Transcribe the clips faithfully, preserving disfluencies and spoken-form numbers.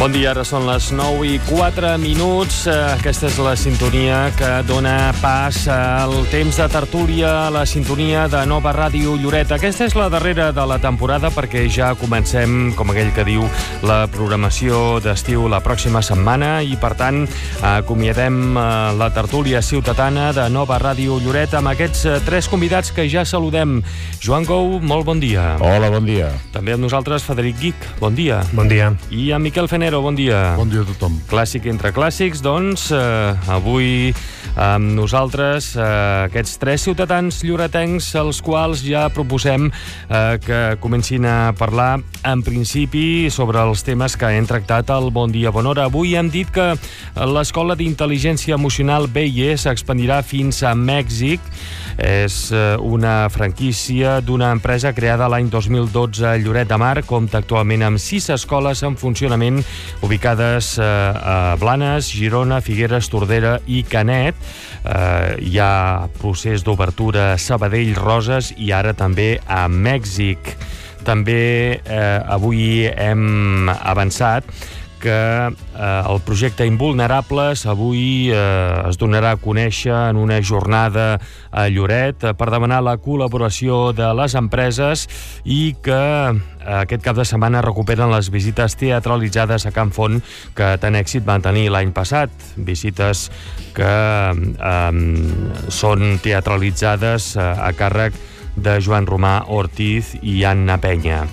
Bon dia, ara són les nou i quatre minuts. Aquesta és la sintonia que dona pas al temps de tertúlia, la sintonia de Nova Ràdio Lloret. Aquesta és la darrera de la temporada perquè ja comencem, com aquell que diu, la programació d'estiu la pròxima setmana i, per tant, acomiadem la tertúlia ciutadana de Nova Ràdio Lloret amb aquests tres convidats que ja saludem. Joan Gou, molt bon dia. Hola, bon dia. També amb nosaltres Frederic Guich, bon dia. Bon dia. I amb Miquel Fenero, bon dia. Bon dia a tothom. Clàssic entre clàssics, doncs, eh, avui amb nosaltres eh, aquests tres ciutadans lloretencs als quals ja proposem eh, que comencin a parlar en principi sobre els temes que hem tractat al Bon Dia, Bona Hora. Avui hem dit que l'Escola d'Intel·ligència Emocional B I E s'expandirà fins a Mèxic. És una franquícia d'una empresa creada l'any dos mil dotze a Lloret de Mar. Compta actualment amb sis escoles en funcionament ubicades a Blanes, Girona, Figueres, Tordera i Canet. Eh, hi ha procés d'obertura a Sabadell, Roses i ara també a Mèxic. També eh, avui hem avançat que eh, el projecte Invulnerables avui eh, es donarà a conèixer en una jornada a Lloret eh, per demanar la col·laboració de les empreses i que eh, aquest cap de setmana recuperen les visites teatralitzades a Can Font que tant èxit van tenir l'any passat. Visites que eh, són teatralitzades eh, a càrrec de Joan Romà Ortiz i Anna Penya.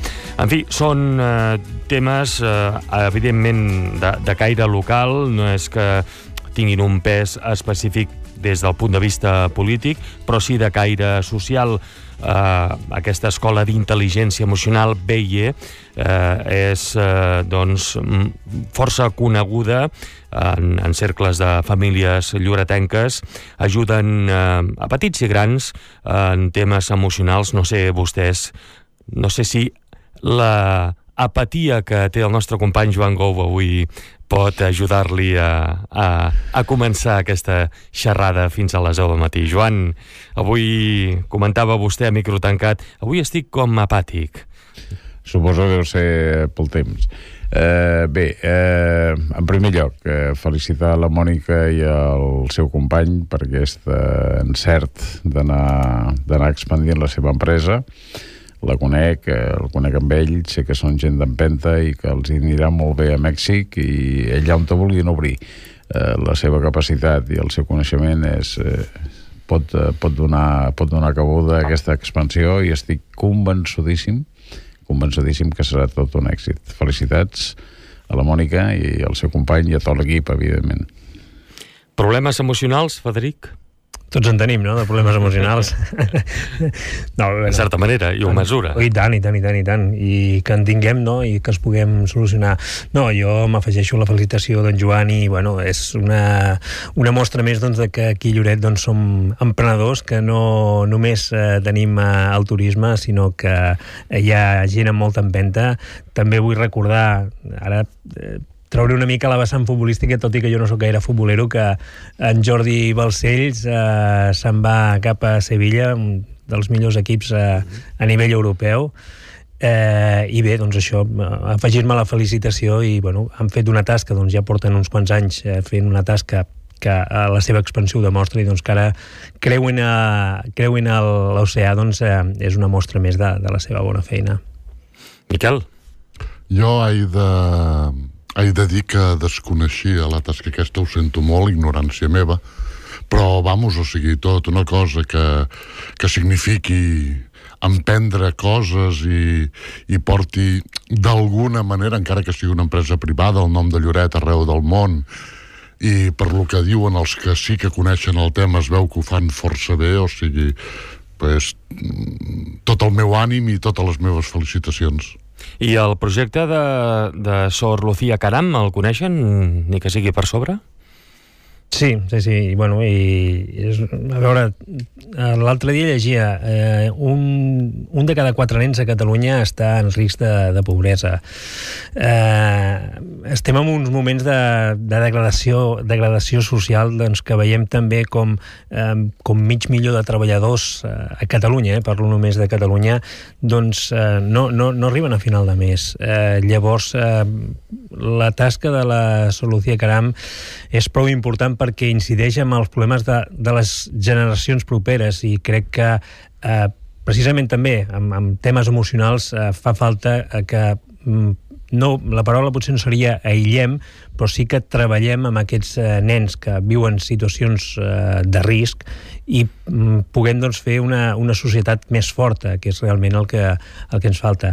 En fi, són eh, temes, eh, evidentment, de, de caire local, no és que tinguin un pes específic des del punt de vista polític, però sí de caire social. Eh, aquesta escola d'intel·ligència emocional B I E eh, és eh, doncs, força coneguda en, en cercles de famílies lloretenques. Ajuden eh, a petits i grans en temes emocionals. No sé vostès, no sé si la apatia que té el nostre company Joan Gou avui pot ajudar-li a, a, a començar aquesta xerrada fins a les deu del matí. Joan, avui comentava vostè a micro tancat, avui estic com apàtic. Suposo que deu ser pel temps. Eh, bé, eh, en primer lloc, eh, felicitar la Mònica i el seu company per aquest eh, encert d'anar d'anar expandint la seva empresa. La conec, el conec amb ell, sé que són gent d'empenta i que els anirà molt bé a Mèxic i allà on te vulguin obrir. Eh, la seva capacitat i el seu coneixement és, eh, pot, pot, donar, pot donar cabuda a aquesta expansió i estic convençudíssim, convençudíssim que serà tot un èxit. Felicitats a la Mònica i al seu company i a tot l'equip, evidentment. Problemes emocionals, Frederic? Tots en tenim, no?, de problemes emocionals. No, bueno, en certa manera, i ho mesura. I tant, i tant, i tant, i tant. I que en tinguem, no?, i que els puguem solucionar. No, jo m'afegeixo la felicitació d'en Joan i, bueno, és una, una mostra més, doncs, de que aquí a Lloret, doncs, som emprenedors, que no només eh, tenim eh, el turisme, sinó que hi ha gent amb molta empenta. També vull recordar, ara... Eh, trauré una mica la vessant futbolística, tot i que jo no sóc gaire futbolero, que en Jordi Balcells eh, se'n va cap a Sevilla, un dels millors equips eh, a nivell europeu, eh, i bé, doncs això, afegir-me la felicitació i, bueno, han fet una tasca, doncs ja porten uns quants anys eh, fent una tasca que a la seva expansió ho demostra i doncs que ara creuen, a, creuen a l'oceà, doncs eh, és una mostra més de, de la seva bona feina. Miquel? Jo he de... He de dir que desconeixia la tasca aquesta, ho sento molt, ignorància meva, però, vamos, o sigui, tot una cosa que, que signifiqui emprendre coses i, i porti d'alguna manera, encara que sigui una empresa privada, el nom de Lloret arreu del món, i per lo que diuen els que sí que coneixen el tema es veu que ho fan força bé, o sigui, pues, tot el meu ànim i totes les meves felicitacions. I el projecte de, de Sor Lucía Caram, el coneixen, ni que sigui per sobre? Sí, sí, sí, i bueno, i és, a veure, l'altre dia llegia eh, un, un de cada quatre nens a Catalunya està en risc de, de pobresa. Eh, estem en uns moments de, de degradació, degradació social, doncs, que veiem també com, eh, com mig milió de treballadors eh, a Catalunya, eh, parlo només de Catalunya, doncs eh, no, no, no arriben a final de mes. Eh, llavors, eh, la tasca de la Solució Caram és prou important perquè incideix en els problemes de, de les generacions properes, i crec que eh, precisament també amb, amb temes emocionals eh, fa falta eh, que mm, no, la paraula potser no seria aïllem, però sí que treballem amb aquests eh, nens que viuen situacions eh, de risc i mm, puguem doncs, fer una, una societat més forta, que és realment el que, el que ens falta.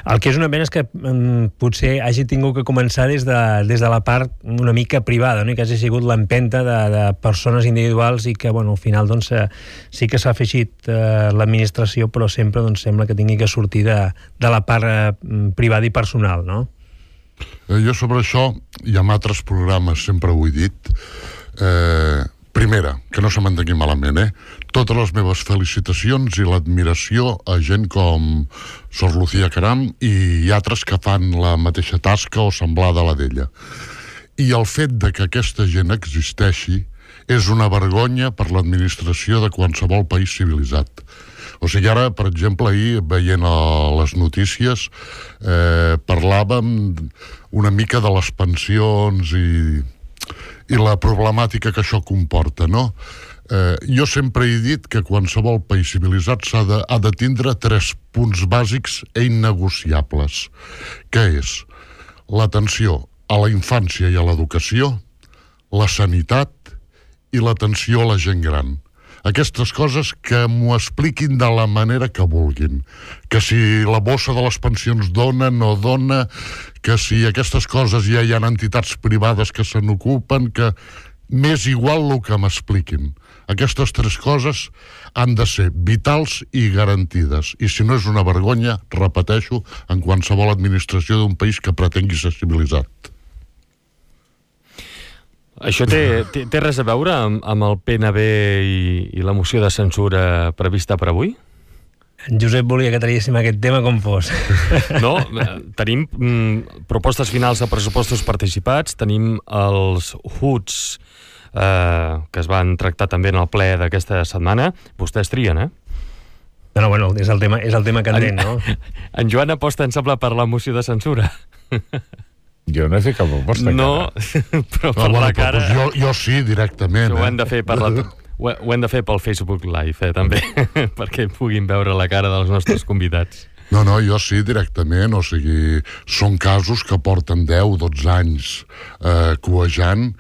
El que és una pena és que mm, potser hagi tingut que començar des de, des de la part una mica privada, no? I que hagi sigut l'empenta de, de persones individuals i que, bueno, al final doncs, eh, sí que s'ha afegit eh, l'administració, però sempre doncs, sembla que tingui que sortir de, de la part eh, privada i personal, no? Eh, jo sobre això, i en altres programes sempre ho he dit, eh, primera, que no se m'entengui malament, eh? Totes les meves felicitacions i l'admiració a gent com Sor Lucía Caram i altres que fan la mateixa tasca o semblada a la d'ella. I el fet de que aquesta gent existeixi és una vergonya per l'administració de qualsevol país civilitzat. O sigui, ara, per exemple, ahir, veient a les notícies, eh, parlàvem una mica de les pensions i, i la problemàtica que això comporta, no? Eh, jo sempre he dit que qualsevol país civilitzat s'ha de, ha de tindre tres punts bàsics e innegociables, que és l'atenció a la infància i a l'educació, la sanitat i l'atenció a la gent gran. Aquestes coses que m'ho expliquin de la manera que vulguin. Que si la bossa de les pensions dona, no dona, que si aquestes coses ja hi ha entitats privades que se n'ocupen, que m'és igual el que m'expliquin. Aquestes tres coses han de ser vitals i garantides. I si no és una vergonya, repeteixo, en qualsevol administració d'un país que pretengui ser civilitzat. Això té, té, té res a veure amb, amb el P N B i, i la moció de censura prevista per avui? En Josep volia que traguéssim aquest tema com fos. No, tenim mm, propostes finals de pressupostos participats, tenim els H U Ts eh, que es van tractar també en el ple d'aquesta setmana. Vostès trien, eh? No, no, bueno, és el tema, és el tema candent, no? En Joan aposta, em sembla, per la moció de censura. Jo no he fet cap proposta. No, però per no, la bueno, cara... Doncs jo, jo sí, directament. Ho eh? hem de fer per la... Ho hem de fer pel Facebook Live, eh, també, perquè puguin veure la cara dels nostres convidats. No, no, jo sí, directament, o sigui, són casos que porten deu, dotze anys eh, cuejant.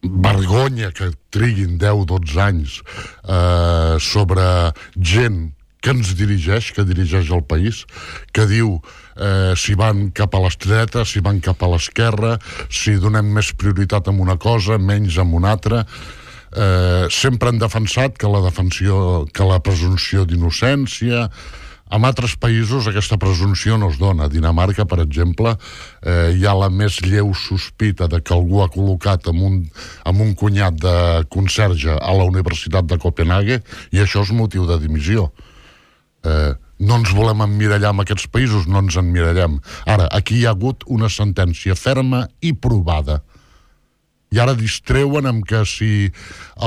Vergonya que triguin deu, dotze anys eh, sobre gent que ens dirigeix, que dirigeix el país, que diu eh, si van cap a l'estreta, si van cap a l'esquerra, si donem més prioritat a una cosa, menys a una altra. Eh, sempre han defensat que la defensió, que la presumpció d'innocència. En altres països aquesta presumpció no es dona. A Dinamarca, per exemple, eh, hi ha la més lleu sospita de que algú ha col·locat amb un, amb un cunyat de conserge a la Universitat de Copenhague i això és motiu de dimissió. Eh, no ens volem emmirallar en aquests països, no ens emmirallem. Ara, aquí hi ha hagut una sentència ferma i provada. I ara distreuen amb que si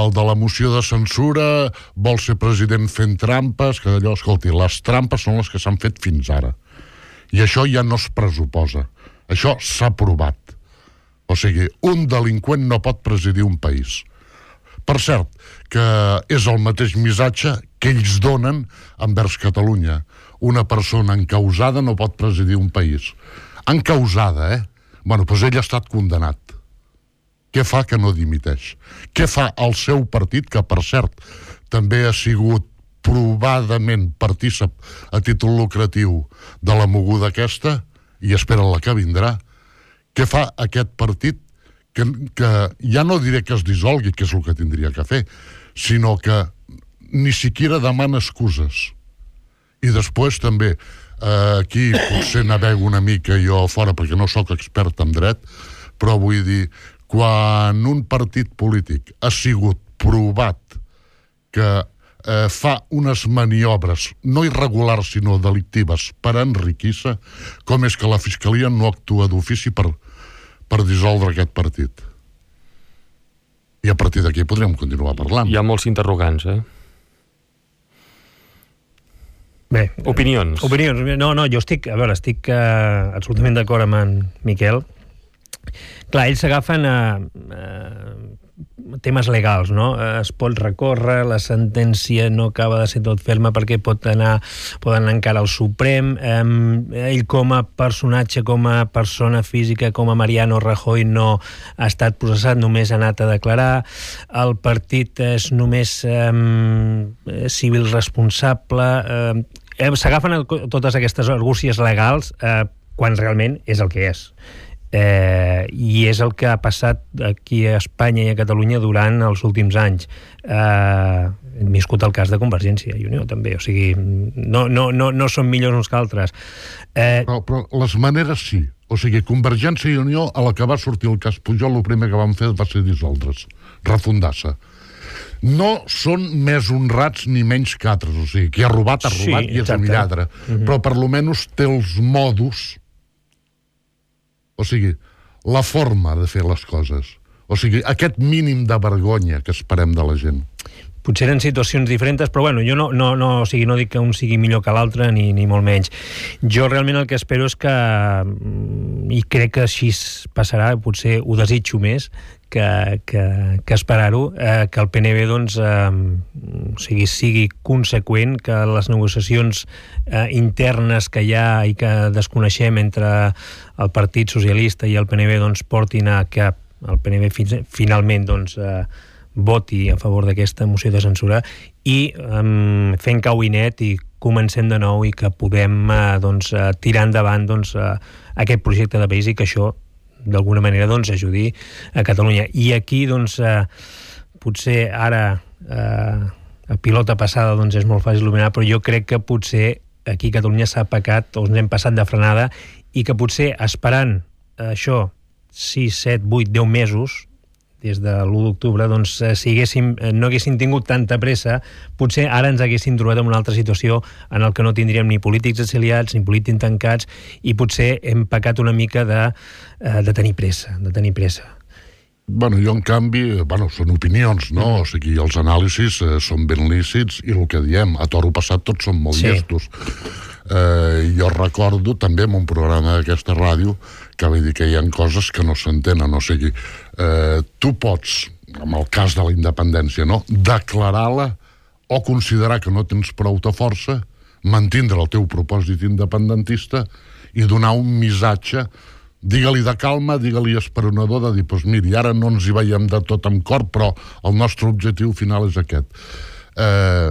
el de la moció de censura vol ser president fent trampes, que allò, escolti, les trampes són les que s'han fet fins ara. I això ja no es pressuposa. Això s'ha provat. O sigui, un delinqüent no pot presidir un país. Per cert, que és el mateix missatge que ells donen envers Catalunya. Una persona encausada no pot presidir un país. Encausada, eh? Bueno, doncs ell ha estat condemnat. Què fa que no dimiteix? Què fa el seu partit, que per cert també ha sigut provadament partícip a títol lucratiu de la moguda aquesta, i espera la que vindrà? Què fa aquest partit que, que ja no diré que es dissolgui, que és el que tindria que fer, sinó que ni siquiera demana excuses? I després també, eh, aquí potser navego una mica jo fora perquè no sóc expert en dret, però vull dir, quan un partit polític ha sigut provat que eh, fa unes maniobres no irregulars sinó delictives per enriquir-se, com és que la Fiscalia no actua d'ofici per, per dissoldre aquest partit? I a partir d'aquí podríem continuar parlant. Hi ha molts interrogants, eh? Bé, opinions. Opinions. No, no, jo estic, a veure, estic uh, absolutament d'acord amb en Miquel. Clar, ells s'agafen a, a temes legals, no? Es pot recórrer, la sentència no acaba de ser tot ferma perquè pot anar, poden anar encara al Suprem. Eh, ell com a personatge, com a persona física, com a Mariano Rajoy no ha estat processat, només ha anat a declarar. El partit és només eh, civil responsable. Eh, s'agafen a totes aquestes argúcies legals eh, quan realment és el que és. Eh, i és el que ha passat aquí a Espanya i a Catalunya durant els últims anys. Eh, hem viscut el cas de Convergència i Unió també, o sigui, no, no, no, no són millors uns que altres. Eh, però, però les maneres sí. O sigui, Convergència i Unió, a la que va sortir el cas Pujol, el primer que van fer va ser dissoldre's, refundar-se. No són més honrats ni menys que altres, o sigui, qui ha robat ha robat sí, i és un lladre, uh-huh. Però per lo menys té els modus. O sigui, la forma de fer les coses. O sigui, aquest mínim de vergonya que esperem de la gent. Potser eren situacions diferents, però bueno, jo no, no, no, o sigui, no dic que un sigui millor que l'altre, ni, ni molt menys. Jo realment el que espero és que, i crec que així passarà, potser ho desitjo més, que, que, que esperar-ho, eh, que el P N V doncs, eh, o sigui, sigui conseqüent, que les negociacions eh, internes que hi ha i que desconeixem entre el Partit Socialista i el P N V doncs, portin a que el P N V fi- finalment doncs, eh, voti a favor d'aquesta moció de censura i um, fent cau i net i comencem de nou i que podem uh, doncs, uh, tirar endavant doncs, uh, aquest projecte de país i que això d'alguna manera doncs, ajudi a Catalunya. I aquí doncs, uh, potser ara uh, a pilota passada doncs, és molt fàcil il·luminar, però jo crec que potser aquí a Catalunya s'ha pecat o ens hem passat de frenada i que potser esperant uh, això sis, set, vuit, deu mesos des de l'u d'octubre, doncs, si haguéssim, no haguéssim tingut tanta pressa, potser ara ens haguéssim trobat en una altra situació en el que no tindríem ni polítics exiliats, ni polítics tancats, i potser hem pecat una mica de, de tenir pressa, de tenir pressa. Bueno, jo, en canvi, bueno, són opinions, no? O sigui, els anàlisis eh, són ben lícits i el que diem, a toro passat tots són molt sí. llestos. Eh, jo recordo també en un programa d'aquesta ràdio que vull dir que hi ha coses que no s'entenen, o sigui, eh, tu pots, en el cas de la independència, no? declarar-la o considerar que no tens prou de força, mantindre el teu propòsit independentista i donar un missatge, digue-li de calma, digue-li esperonador, de dir, doncs miri, ara no ens hi veiem de tot amb cor, però el nostre objectiu final és aquest. Eh,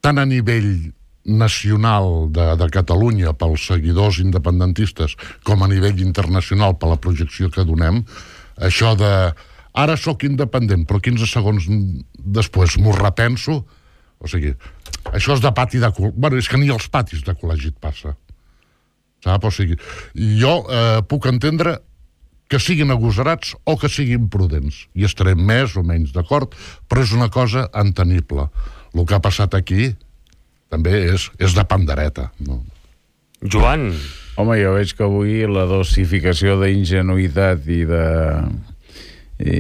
tant a nivell nacional de, de Catalunya pels seguidors independentistes com a nivell internacional per la projecció que donem, això de ara sóc independent però quinze segons després m'ho repenso, o sigui, això és de pati de col·legi, bueno, és que ni als patis de col·legi et passa, sap? O sigui, jo eh, puc entendre que siguin agosarats o que siguin prudents i estarem més o menys d'acord, però és una cosa entenible. El que ha passat aquí també és, és de pandereta, no? Joan. Home, jo veig que avui la dosificació d'ingenuïtat i de, i,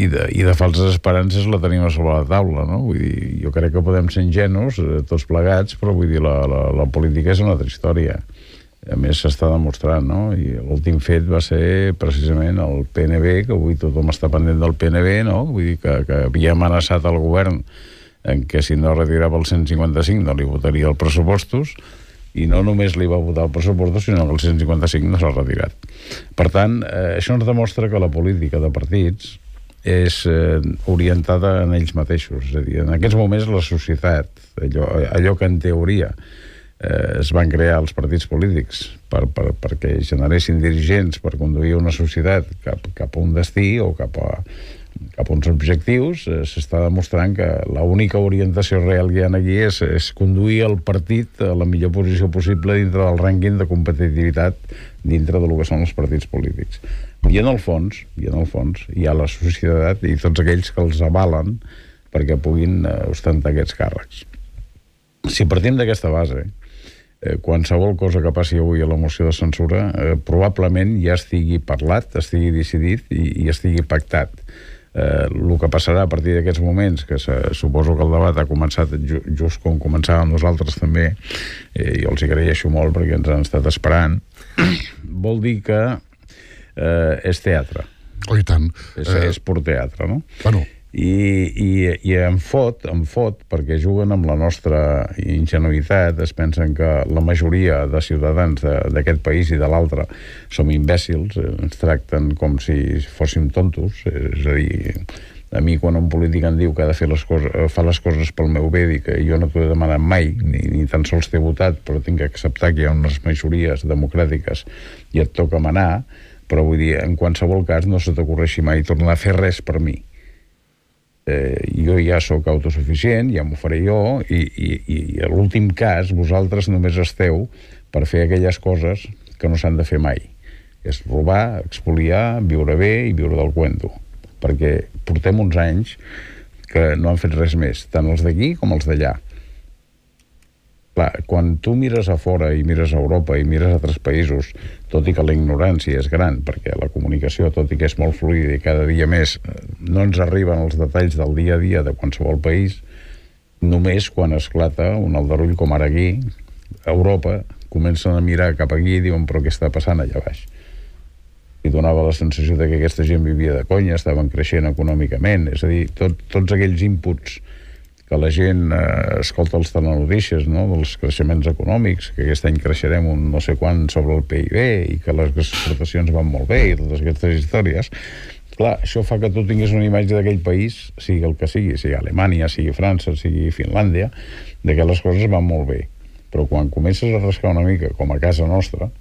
i, de, i de falses esperances la tenim a sobre la taula, no? Vull dir, jo crec que podem ser ingenus, tots plegats, però vull dir, la, la, la política és una altra història. A més, s'està demostrant, no? I l'últim fet va ser precisament el P N B, que avui tothom està pendent del P N B, no? Vull dir que, que havia amenaçat el govern en què si no retirava el cent cinquanta cinc no li votaria els pressupostos, i no només li va votar el pressupostos, sinó que el cent cinquanta cinc no s'ha retirat. Per tant, eh, això ens demostra que la política de partits és eh, orientada en ells mateixos. És a dir, en aquests moments la societat, allò, allò que en teoria eh, es van crear els partits polítics per, per, perquè generessin dirigents per conduir una societat cap, cap a un destí o cap a cap a uns objectius, eh, s'està demostrant que l'única orientació real que hi ha aquí és, és conduir el partit a la millor posició possible dintre del rànquing de competitivitat dintre del que són els partits polítics. I en el fons, i en el fons hi ha la societat i tots aquells que els avalen perquè puguin eh, ostentar aquests càrrecs. Si partim d'aquesta base, eh, qualsevol cosa que passi avui a la moció de censura eh, probablement ja estigui parlat, estigui decidit i, i estigui pactat. Eh, el que passarà a partir d'aquests moments, que se, suposo que el debat ha començat ju, just com començàvem nosaltres també, eh, jo els hi agraeixo molt perquè ens han estat esperant, vol dir que eh, és teatre. Oh, i tant. És, eh... és pur teatre, no? Bueno, I, i, i em fot, em fot perquè juguen amb la nostra ingenuïtat, es pensen que la majoria de ciutadans d'aquest país i de l'altre som imbècils, ens tracten com si fóssim tontos, és a dir, a mi quan un polític em diu que ha de fer les coses, fa les coses pel meu bé, i que jo no t'ho he demanat mai, ni, ni tan sols t'he votat, però tinc que acceptar que hi ha unes majories democràtiques i et toca manar, però vull dir, en qualsevol cas no se t'ocorreixi mai tornar a fer res per mi. Eh, jo ja sóc autosuficient, ja m'ho faré jo, i, i, i a l'últim cas vosaltres només esteu per fer aquelles coses que no s'han de fer mai. És robar, expoliar, viure bé i viure del cuento. Perquè portem uns anys que no han fet res més, tant els d'aquí com els d'allà. Clar, quan tu mires a fora i mires a Europa i mires a altres països, tot i que la ignorància és gran, perquè la comunicació, tot i que és molt fluida i cada dia més, no ens arriben els detalls del dia a dia de qualsevol país, només quan esclata un aldarull com ara aquí, a Europa, comencen a mirar cap aquí i diuen, però què està passant allà baix? I donava la sensació de que aquesta gent vivia de conya, estaven creixent econòmicament, és a dir, tot, tots aquells inputs que la gent eh, escolta els telenotícies, no?, dels creixements econòmics, que aquest any creixerem un no sé quant sobre el P I B i que les exportacions van molt bé i totes aquestes històries. Clar, això fa que tu tinguis una imatge d'aquell país, sigui el que sigui, sigui Alemanya, sigui França, sigui Finlàndia, de que les coses van molt bé. Però quan comences a rascar una mica, com a casa nostra,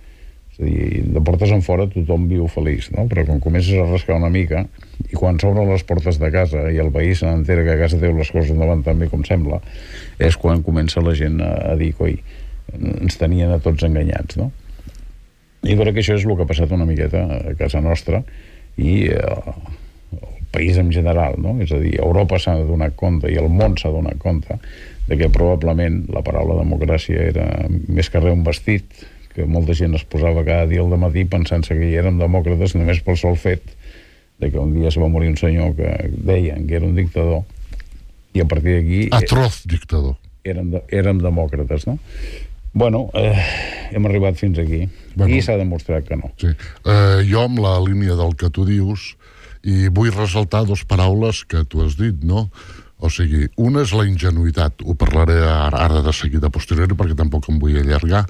és a dir, de portes en fora tothom viu feliç, no? Però quan comences a rascar una mica i quan s'obren les portes de casa i el veí se n'entera que a casa teu les coses no van tan bé com sembla, és quan comença la gent a, a dir, coi, ens tenien a tots enganyats, no? I crec que això és el que ha passat una miqueta a casa nostra i eh, el país en general, no? És a dir, Europa s'ha donat compte i el món s'ha donat compte de que probablement la paraula democràcia era més que res un vestit, que molta gent es posava cada dia al dematí pensant-se que hi érem demòcrates només pel sol fet de que un dia es va morir un senyor que deien que era un dictador i a partir d'aquí... Atroz dictador. Érem, de, érem demòcrates, no? Bueno, eh, hem arribat fins aquí bueno, i s'ha demostrat que no. Sí. Eh, jo amb la línia del que tu dius i vull ressaltar dos paraules que tu has dit, no? O sigui, una és la ingenuïtat, ho parlaré ara, ara de seguida posteriori perquè tampoc em vull allargar,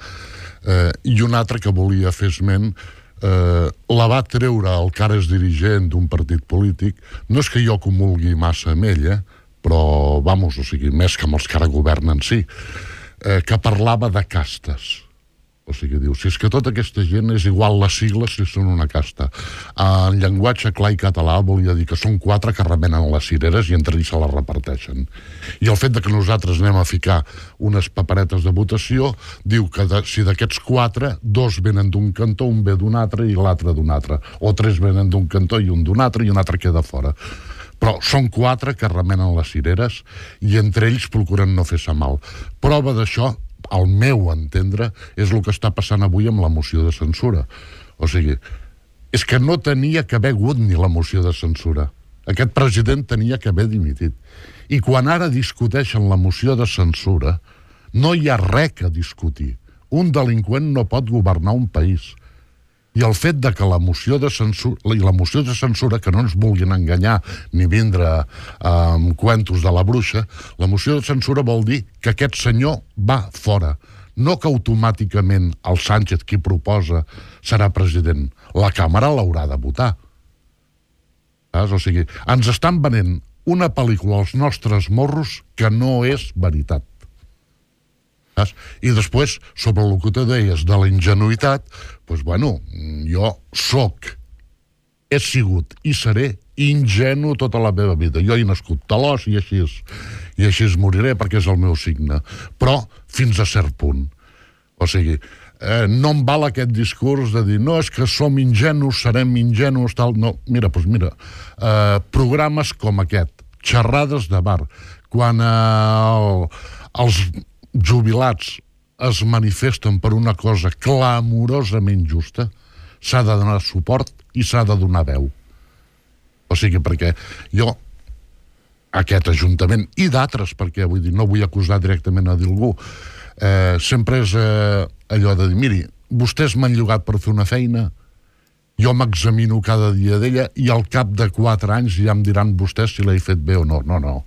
eh, i un altre que volia fer esment, eh, la va treure el que ara és dirigent d'un partit polític, no és que jo comulgui massa amb ell, eh, però, vamos, o sigui, més que amb els que ara governen, sí, eh, que parlava de castes. O sigui, diu, si és que tota aquesta gent és igual les sigles si són una casta. En llenguatge clar i català volia dir que són quatre que remenen les cireres i entre ells se les reparteixen. I el fet de que nosaltres anem a ficar unes paperetes de votació diu que de, si d'aquests quatre, dos venen d'un cantó, un ve d'un altre i l'altre d'un altre. O tres venen d'un cantó i un d'un altre i un altre queda fora. Però són quatre que remenen les cireres i entre ells procuren no fer-se mal. Prova d'això, al meu entendre, és el que està passant avui amb la moció de censura. O sigui, és que no tenia que haver hagut ni la moció de censura. Aquest president tenia que haver dimitit. I quan ara discuteixen la moció de censura, no hi ha res a discutir. Un delinqüent no pot governar un país. I el fet de que la moció de censura, i la moció de censura, que no ens vulguin enganyar ni vindre amb eh, cuentos de la bruixa, la moció de censura vol dir que aquest senyor va fora. No que automàticament el Sánchez, qui proposa, serà president. La Càmera l'haurà de votar. Saps? O sigui, ens estan venent una pel·lícula als nostres morros que no és veritat. I després, sobre el que tu deies de la ingenuïtat, doncs, bueno, jo soc, he sigut i seré ingenu tota la meva vida. Jo he nascut talòs i així, i així moriré perquè és el meu signe. Però fins a cert punt. O sigui, eh, no em val aquest discurs de dir no, és que som ingenus, serem ingenus, tal. No, mira, doncs mira, eh, programes com aquest, xerrades de bar, quan eh, els jubilats es manifesten per una cosa clamorosament justa, s'ha de donar suport i s'ha de donar veu. O sigui, perquè jo, aquest Ajuntament, i d'altres, perquè vull dir, no vull acusar directament a algú, eh, sempre és eh, allò de dir, miri, vostès m'han llogat per fer una feina, jo m'examino cada dia d'ella i al cap de quatre anys ja em diran vostès si l'he fet bé o no. No, no.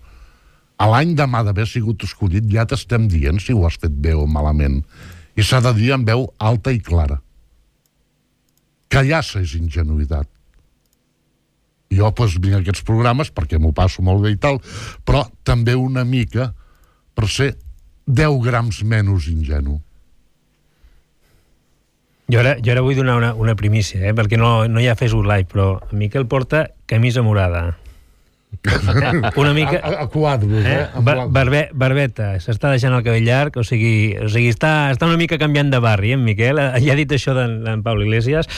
A l'any demà d'haver sigut escollit ja t'estem dient si ho has fet bé o malament. I s'ha de dir amb veu alta i clara. Callar-se és ingenuïtat. Jo doncs, vinc a aquests programes perquè m'ho passo molt bé i tal, però també una mica per ser deu grams menys ingenu. Jo ara, jo ara vull donar una, una primícia, eh? Perquè no, no hi ha Facebook Live, però Miquel porta camisa morada. Una mica... A, a quadros, eh? eh? Bar barbe barbeta, s'està deixant el cabell llarg, o sigui, o sigui està, està una mica canviant de barri, eh, en Miquel? Ja ha dit això d'en Pablo Iglesias.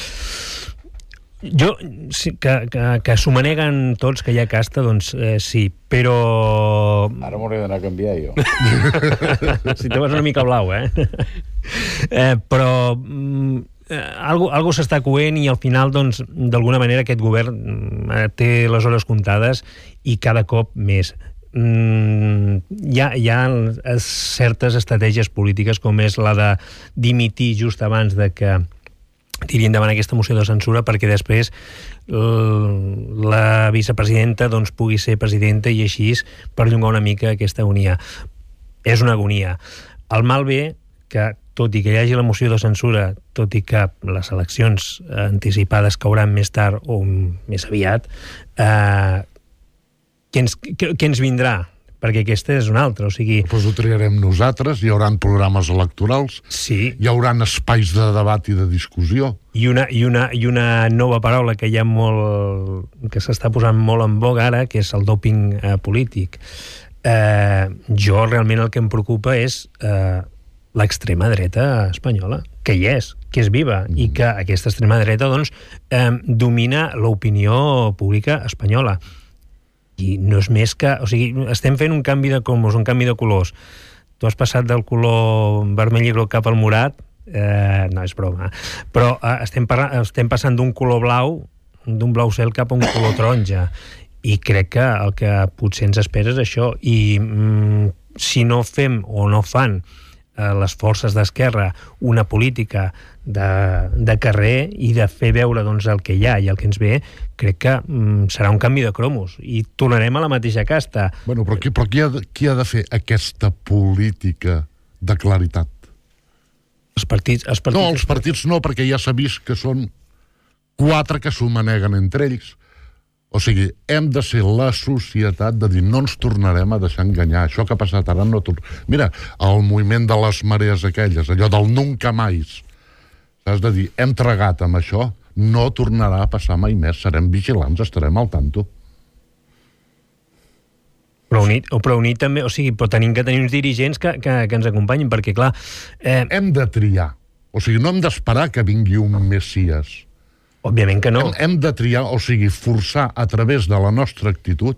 Jo, sí, que, que, que s'ho maneguen tots, que hi ha casta, doncs eh, sí, però... Ara m'hauré d'anar a canviar jo. Si te vas una mica blau, eh? eh però mm, eh, algo, algo s'està coent i al final, doncs, d'alguna manera aquest govern eh, té les hores comptades i cada cop més. Mm, hi ha, hi ha certes estratègies polítiques com és la de dimitir just abans de que tiri endavant aquesta moció de censura perquè després la vicepresidenta doncs, pugui ser presidenta i així perllongar una mica aquesta agonia. És una agonia. El mal ve que, tot i que hi hagi la moció de censura, tot i que les eleccions anticipades cauran més tard o més aviat, eh, què, ens, què, què ens vindrà? Perquè aquesta és una altra, o sigui... Doncs ho triarem nosaltres, hi haurà programes electorals, sí. Hi haurà espais de debat i de discussió. I una, i una, i una nova paraula que hi ha molt... que s'està posant molt en boga ara, que és el dòping eh, polític. Eh, jo realment el que em preocupa és eh, l'extrema dreta espanyola, que hi és, que és viva, mm. i que aquesta extrema dreta doncs, eh, domina l'opinió pública espanyola. I no és més que... O sigui, estem fent un canvi de cromos, un canvi de colors. Tu has passat del color vermell i groc cap al morat, eh, no, és broma. Però eh, estem, estem passant d'un color blau, d'un blau cel cap a un color taronja. I crec que el que potser ens espera és això. I mm, si no fem o no fan eh, les forces d'esquerra una política de, de carrer i de fer veure doncs, el que hi ha i el que ens ve, crec que mm, serà un canvi de cromos i tornarem a la mateixa casta. Bueno, però qui, però qui, ha, de, qui ha de fer aquesta política de claritat? Els partits... Els partits no, els partits no, perquè ja s'ha vist que són quatre que s'ho maneguen entre ells. O sigui, hem de ser la societat de dir no ens tornarem a deixar enganyar. Això que ha passat ara no... Mira, el moviment de les marees aquelles, allò del nunca mais, has de dir, hem tragat amb això, no tornarà a passar mai més, serem vigilants, estarem al tanto. Però unit, o però unit també, o sigui, però tenim que tenir uns dirigents que, que, que ens acompanyin, perquè clar... Eh... Hem de triar, o sigui, no hem d'esperar que vingui un messies. Òbviament que no. Hem, hem de triar, o sigui, forçar a través de la nostra actitud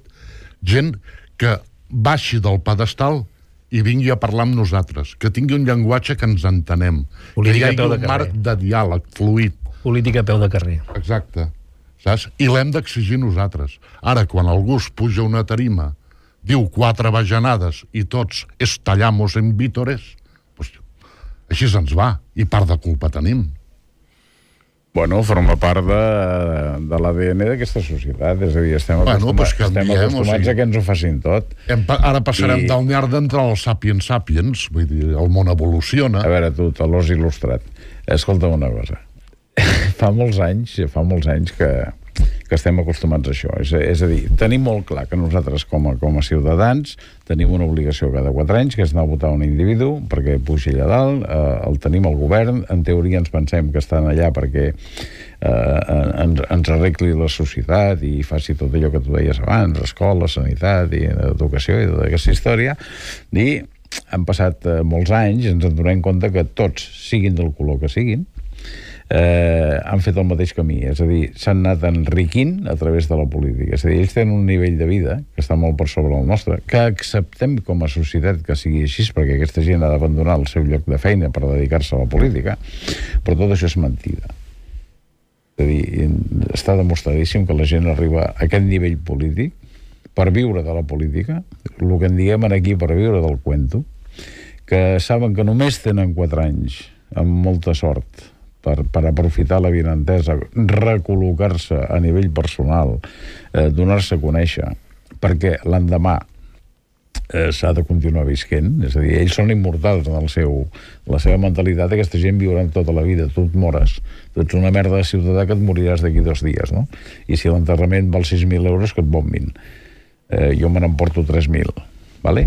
gent que baixi del pedestal i vingui a parlar amb nosaltres, que tingui un llenguatge que ens entenem, política que hi hagi un marc de diàleg fluid. Política a peu de carrer. Exacte. Saps? I l'hem d'exigir nosaltres. Ara, quan algú es puja una tarima, diu quatre bajanades i tots estallamos en vítores, pues, així se'ns va, i part de culpa tenim. Bueno, forma part de, de l'A D N d'aquesta societat, és a dir, estem, bueno, acostuma, pues estem diem, acostumats o sigui, a que ens ho facin tot. Hem, ara passarem I... del Neandertal als sapiens sapiens, vull dir, el món evoluciona. A veure, tu, talòs il·lustrat, escolta'm una cosa. fa molts anys, fa molts anys que, que estem acostumats a això. És, és a dir, tenim molt clar que nosaltres com a, com a ciutadans tenim una obligació cada quatre anys, que és anar a votar un individu perquè pugi allà dalt, eh, el tenim al govern, en teoria ens pensem que estan allà perquè eh, ens, ens arregli la societat i faci tot allò que tu deies abans, escola, sanitat i educació i tota aquesta història, i han passat eh, molts anys, ens en donem compte que tots, siguin del color que siguin, eh, han fet el mateix camí, és a dir, s'han anat enriquint a través de la política, és a dir, ells tenen un nivell de vida que està molt per sobre el nostre, que acceptem com a societat que sigui així, perquè aquesta gent ha d'abandonar el seu lloc de feina per dedicar-se a la política, però tot això és mentida. És a dir, està demostradíssim que la gent arriba a aquest nivell polític per viure de la política, el que en diguem aquí per viure del cuento, que saben que només tenen quatre anys, amb molta sort, per, per aprofitar la vinentesa, recol·locar-se a nivell personal, eh, donar-se a conèixer, perquè l'endemà eh, s'ha de continuar visquent, és a dir, ells són immortals en el seu, la seva mentalitat, aquesta gent viurà tota la vida, tu et mores, tu ets una merda de ciutadà que et moriràs d'aquí dos dies, no? I si l'enterrament val sis mil euros, que et bombin. Eh, jo me n'emporto tres mil. Vale?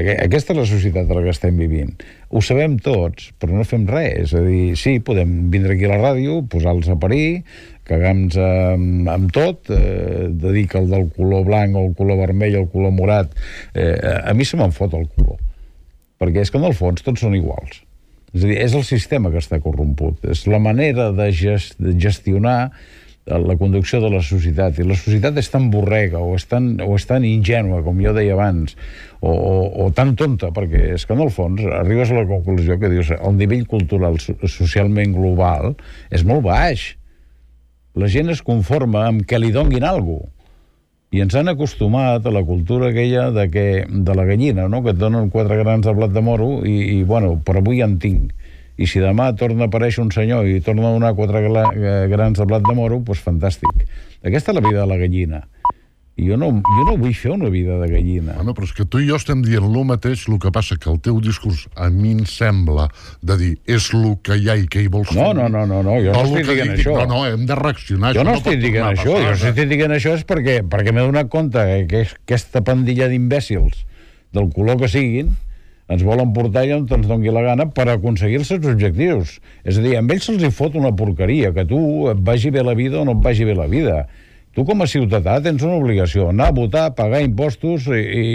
Aquesta és la societat en la que estem vivint. Ho sabem tots, però no fem res. És a dir, sí, podem vindre aquí a la ràdio, posar-los a parir, cagar-nos amb, amb tot, eh, de dir que el del color blanc o el color vermell o el color morat, eh, a mi se me'n fot el color. Perquè és que en el fons tots són iguals. És a dir, és el sistema que està corromput. És la manera de, gest, de gestionar la conducció de la societat, i la societat és tan borrega o és tan, o és tan ingènua, com jo deia abans, o, o, o tan tonta, perquè és que en el fons arribes a la conclusió que dius el nivell cultural socialment global és molt baix. La gent es conforma amb que li donguin alguna cosa, i ens han acostumat a la cultura aquella de, que, de la gallina, no? Que et donen quatre grans de blat de moro i, i bueno, per avui en tinc. I si demà torna a aparèixer un senyor i torna a donar quatre grans de blat de moro, doncs fantàstic. Aquesta és la vida de la gallina. I jo no, jo no vull fer una vida de gallina. Bueno, però és que tu i jo estem dient el mateix, el que passa que el teu discurs a mi em sembla de dir és el que hi ha i què hi vols fer. No, no, no, no, no jo no estic dient això. No, no, hem de reaccionar. Jo no estic dient això, jo si estic dient això és perquè, perquè m'he donat compte que aquesta pandilla d'imbècils del color que siguin ens volen portar allà on ens doni la gana per aconseguir els seus objectius. És a dir, amb ells se'ls hi fot una porqueria, que tu et vagi bé la vida o no et vagi bé la vida. Tu com a ciutadà tens una obligació, anar a votar, pagar impostos i, i,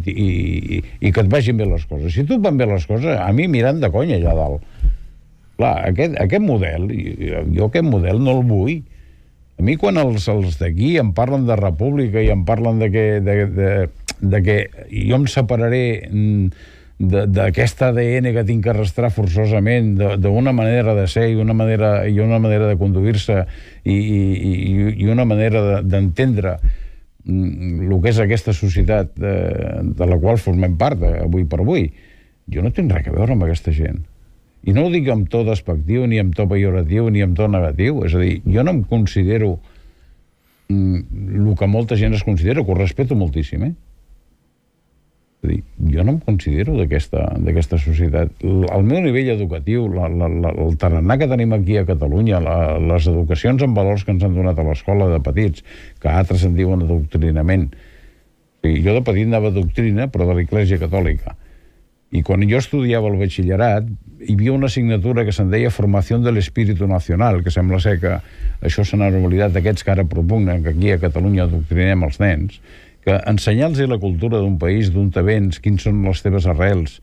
i, i, i que et vagin bé les coses. Si tu et van bé les coses, a mi mirant de conya allà dalt. Clar, aquest, aquest model, jo aquest model no el vull. A mi quan els, els d'aquí em parlen de república i em parlen de que, de, de, de que jo em separaré d'aquest A D N que tinc que arrastrar forçosament, d'una manera de ser i una manera, i una manera de conduir-se i, i, i una manera d'entendre el que és aquesta societat de, de la qual formem part avui per avui, jo no tinc res a veure amb aquesta gent. I no ho dic amb to despectiu, ni amb to pejoratiu, ni amb to negatiu. És a dir, jo no em considero el que molta gent es considera, que ho respeto moltíssim, eh? És a dir, jo no em considero d'aquesta societat. El meu nivell educatiu, la, la, la, el tarannà que tenim aquí a Catalunya, la, les educacions en valors que ens han donat a l'escola de petits, que altres en diuen adoctrinament. O sigui, jo de petit anava a doctrina, però de l'Església Catòlica. I quan jo estudiava el batxillerat, hi havia una assignatura que se'n deia Formació de l'Espíritu Nacional, que sembla ser que això se n'han oblidat d'aquests que ara propugnen que aquí a Catalunya adoctrinem els nens, que ensenyar-los la cultura d'un país, d'on te vens, quins són les teves arrels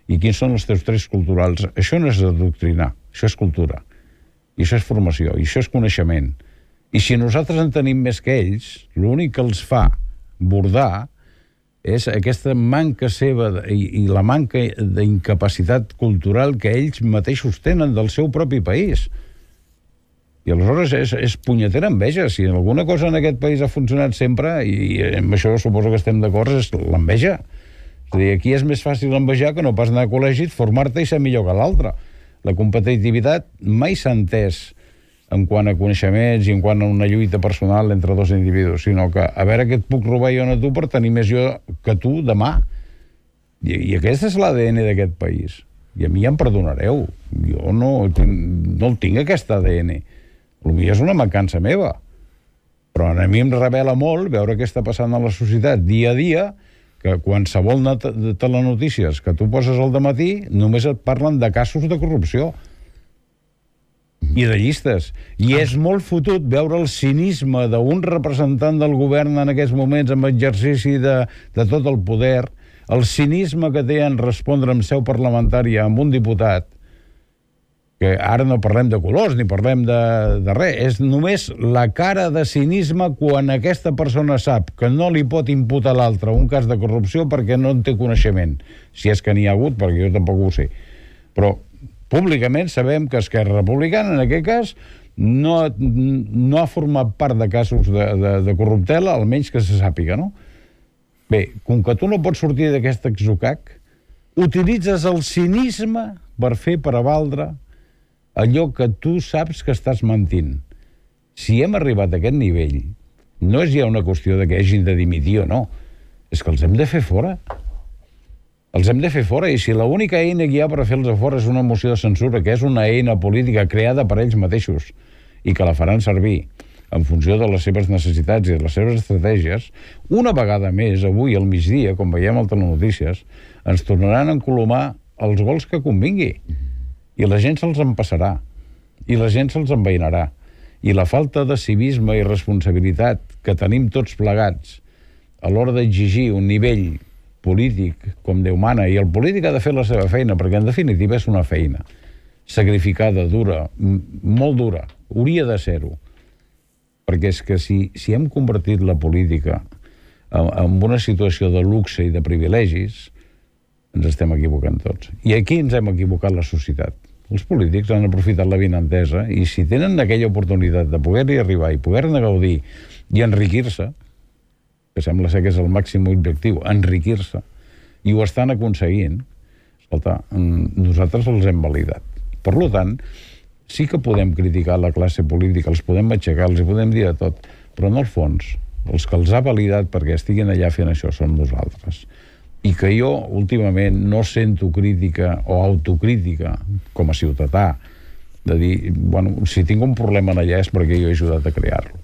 i quins són els teus trets culturals, això no és adoctrinar, això és cultura. I això és formació, i això és coneixement. I si nosaltres en tenim més que ells, l'únic que els fa bordar és aquesta manca seva i, i la manca d'incapacitat cultural que ells mateixos tenen del seu propi país. I aleshores és, és punyetera enveja. Si alguna cosa en aquest país ha funcionat sempre, i, i amb això suposo que estem d'acord, és l'enveja. És a dir, aquí és més fàcil envejar que no pas anar a col·legi, formar-te i ser millor que l'altre. La competitivitat mai s'ha entès en quant a coneixements i en quant a una lluita personal entre dos individus, sinó que a veure què et puc robar jo a tu per tenir més jo que tu demà. I, i aquest és l'A D N d'aquest país. I a mi ja em perdonareu. Jo no, no el tinc, aquest A D N. Potser és una mancança meva. Però a mi em revela molt veure què està passant a la societat dia a dia, que qualsevol telenotícies que tu poses al dematí només et parlen de casos de corrupció i de llistes. I és molt fotut veure el cinisme d'un representant del govern en aquests moments amb exercici de, de tot el poder, el cinisme que té en respondre en seu parlamentària amb un diputat, que ara no parlem de colors ni parlem de, de res, és només la cara de cinisme quan aquesta persona sap que no li pot imputar a l'altre un cas de corrupció perquè no en té coneixement, si és que n'hi ha hagut, perquè jo tampoc ho sé. Però públicament sabem que Esquerra Republicana, en aquest cas, no, no ha format part de casos de, de, de corruptela, almenys que se sàpiga, no? Bé, com que tu no pots sortir d'aquest exocac, utilitzes el cinisme per fer prevaldre allò que tu saps que estàs mentint. Si hem arribat a aquest nivell, no és ja una qüestió de que hagin de dimitir o no, és que els hem de fer fora. Els hem de fer fora, i si l'única eina que hi ha per fer-los fora és una moció de censura, que és una eina política creada per ells mateixos i que la faran servir en funció de les seves necessitats i de les seves estratègies, una vegada més, avui al migdia, com veiem al Telenotícies, ens tornaran a encolomar els gols que convingui. I la gent se'ls empassarà, i la gent se'ls enveïnarà. I la falta de civisme i responsabilitat que tenim tots plegats a l'hora d'exigir un nivell polític com Déu mana, i el polític ha de fer la seva feina, perquè en definitiva és una feina sacrificada, dura, molt dura, hauria de ser-ho. Perquè és que si, si hem convertit la política en, en una situació de luxe i de privilegis, ens estem equivocant tots. I aquí ens hem equivocat la societat. Els polítics han aprofitat la vinentesa i si tenen aquella oportunitat de poder-hi arribar i poder-ne gaudir i enriquir-se, que sembla ser que és el màxim objectiu, enriquir-se, i ho estan aconseguint, escolta, nosaltres els hem validat. Per tant, sí que podem criticar la classe política, els podem aixecar, els podem dir de tot, però en el fons, els que els ha validat perquè estiguin allà fent això són nosaltres. I que jo, últimament, no sento crítica o autocrítica com a ciutadà, de dir, bueno, si tinc un problema allà és perquè jo he ajudat a crear-lo.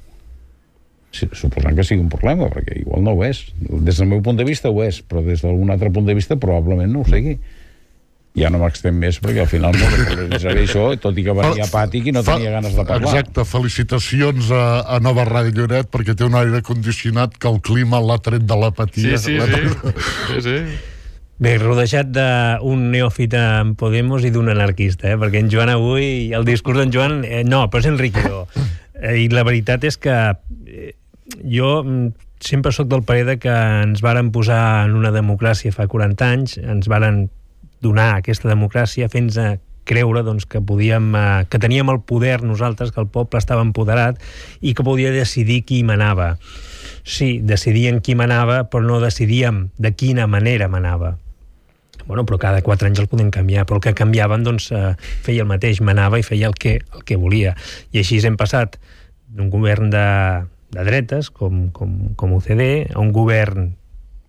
Suposant que sigui un problema, perquè igual no ho és. Des del meu punt de vista ho és, però des d'algun altre punt de vista probablement no ho sigui. Ja no m'extem més, perquè al final no realitzaré això, tot i que venia apàtic i no tenia ganes de parlar. Exacte, felicitacions a, a Nova Ràdio Lloret, perquè té un aire condicionat que el clima l'ha tret de l'apatia. Sí, sí, sí. sí, sí. Bé, rodejat d'un neòfit en Podemos i d'un anarquista, eh? Perquè en Joan avui, el discurs d'en Joan, eh, no, però és enriquidor. Eh, I la veritat és que eh, jo sempre sóc del parer de que ens varen posar en una democràcia fa quaranta anys, ens varen donar aquesta democràcia fent-nos a creure doncs, que podíem, eh, que teníem el poder nosaltres, que el poble estava empoderat i que podia decidir qui manava. Sí, decidien qui manava, però no decidíem de quina manera manava. Bueno, però cada quatre anys el podem canviar, però el que canviaven doncs, eh, feia el mateix, manava i feia el que, el que volia. I així hem passat d'un govern de, de dretes, com, com, com U C D, a un govern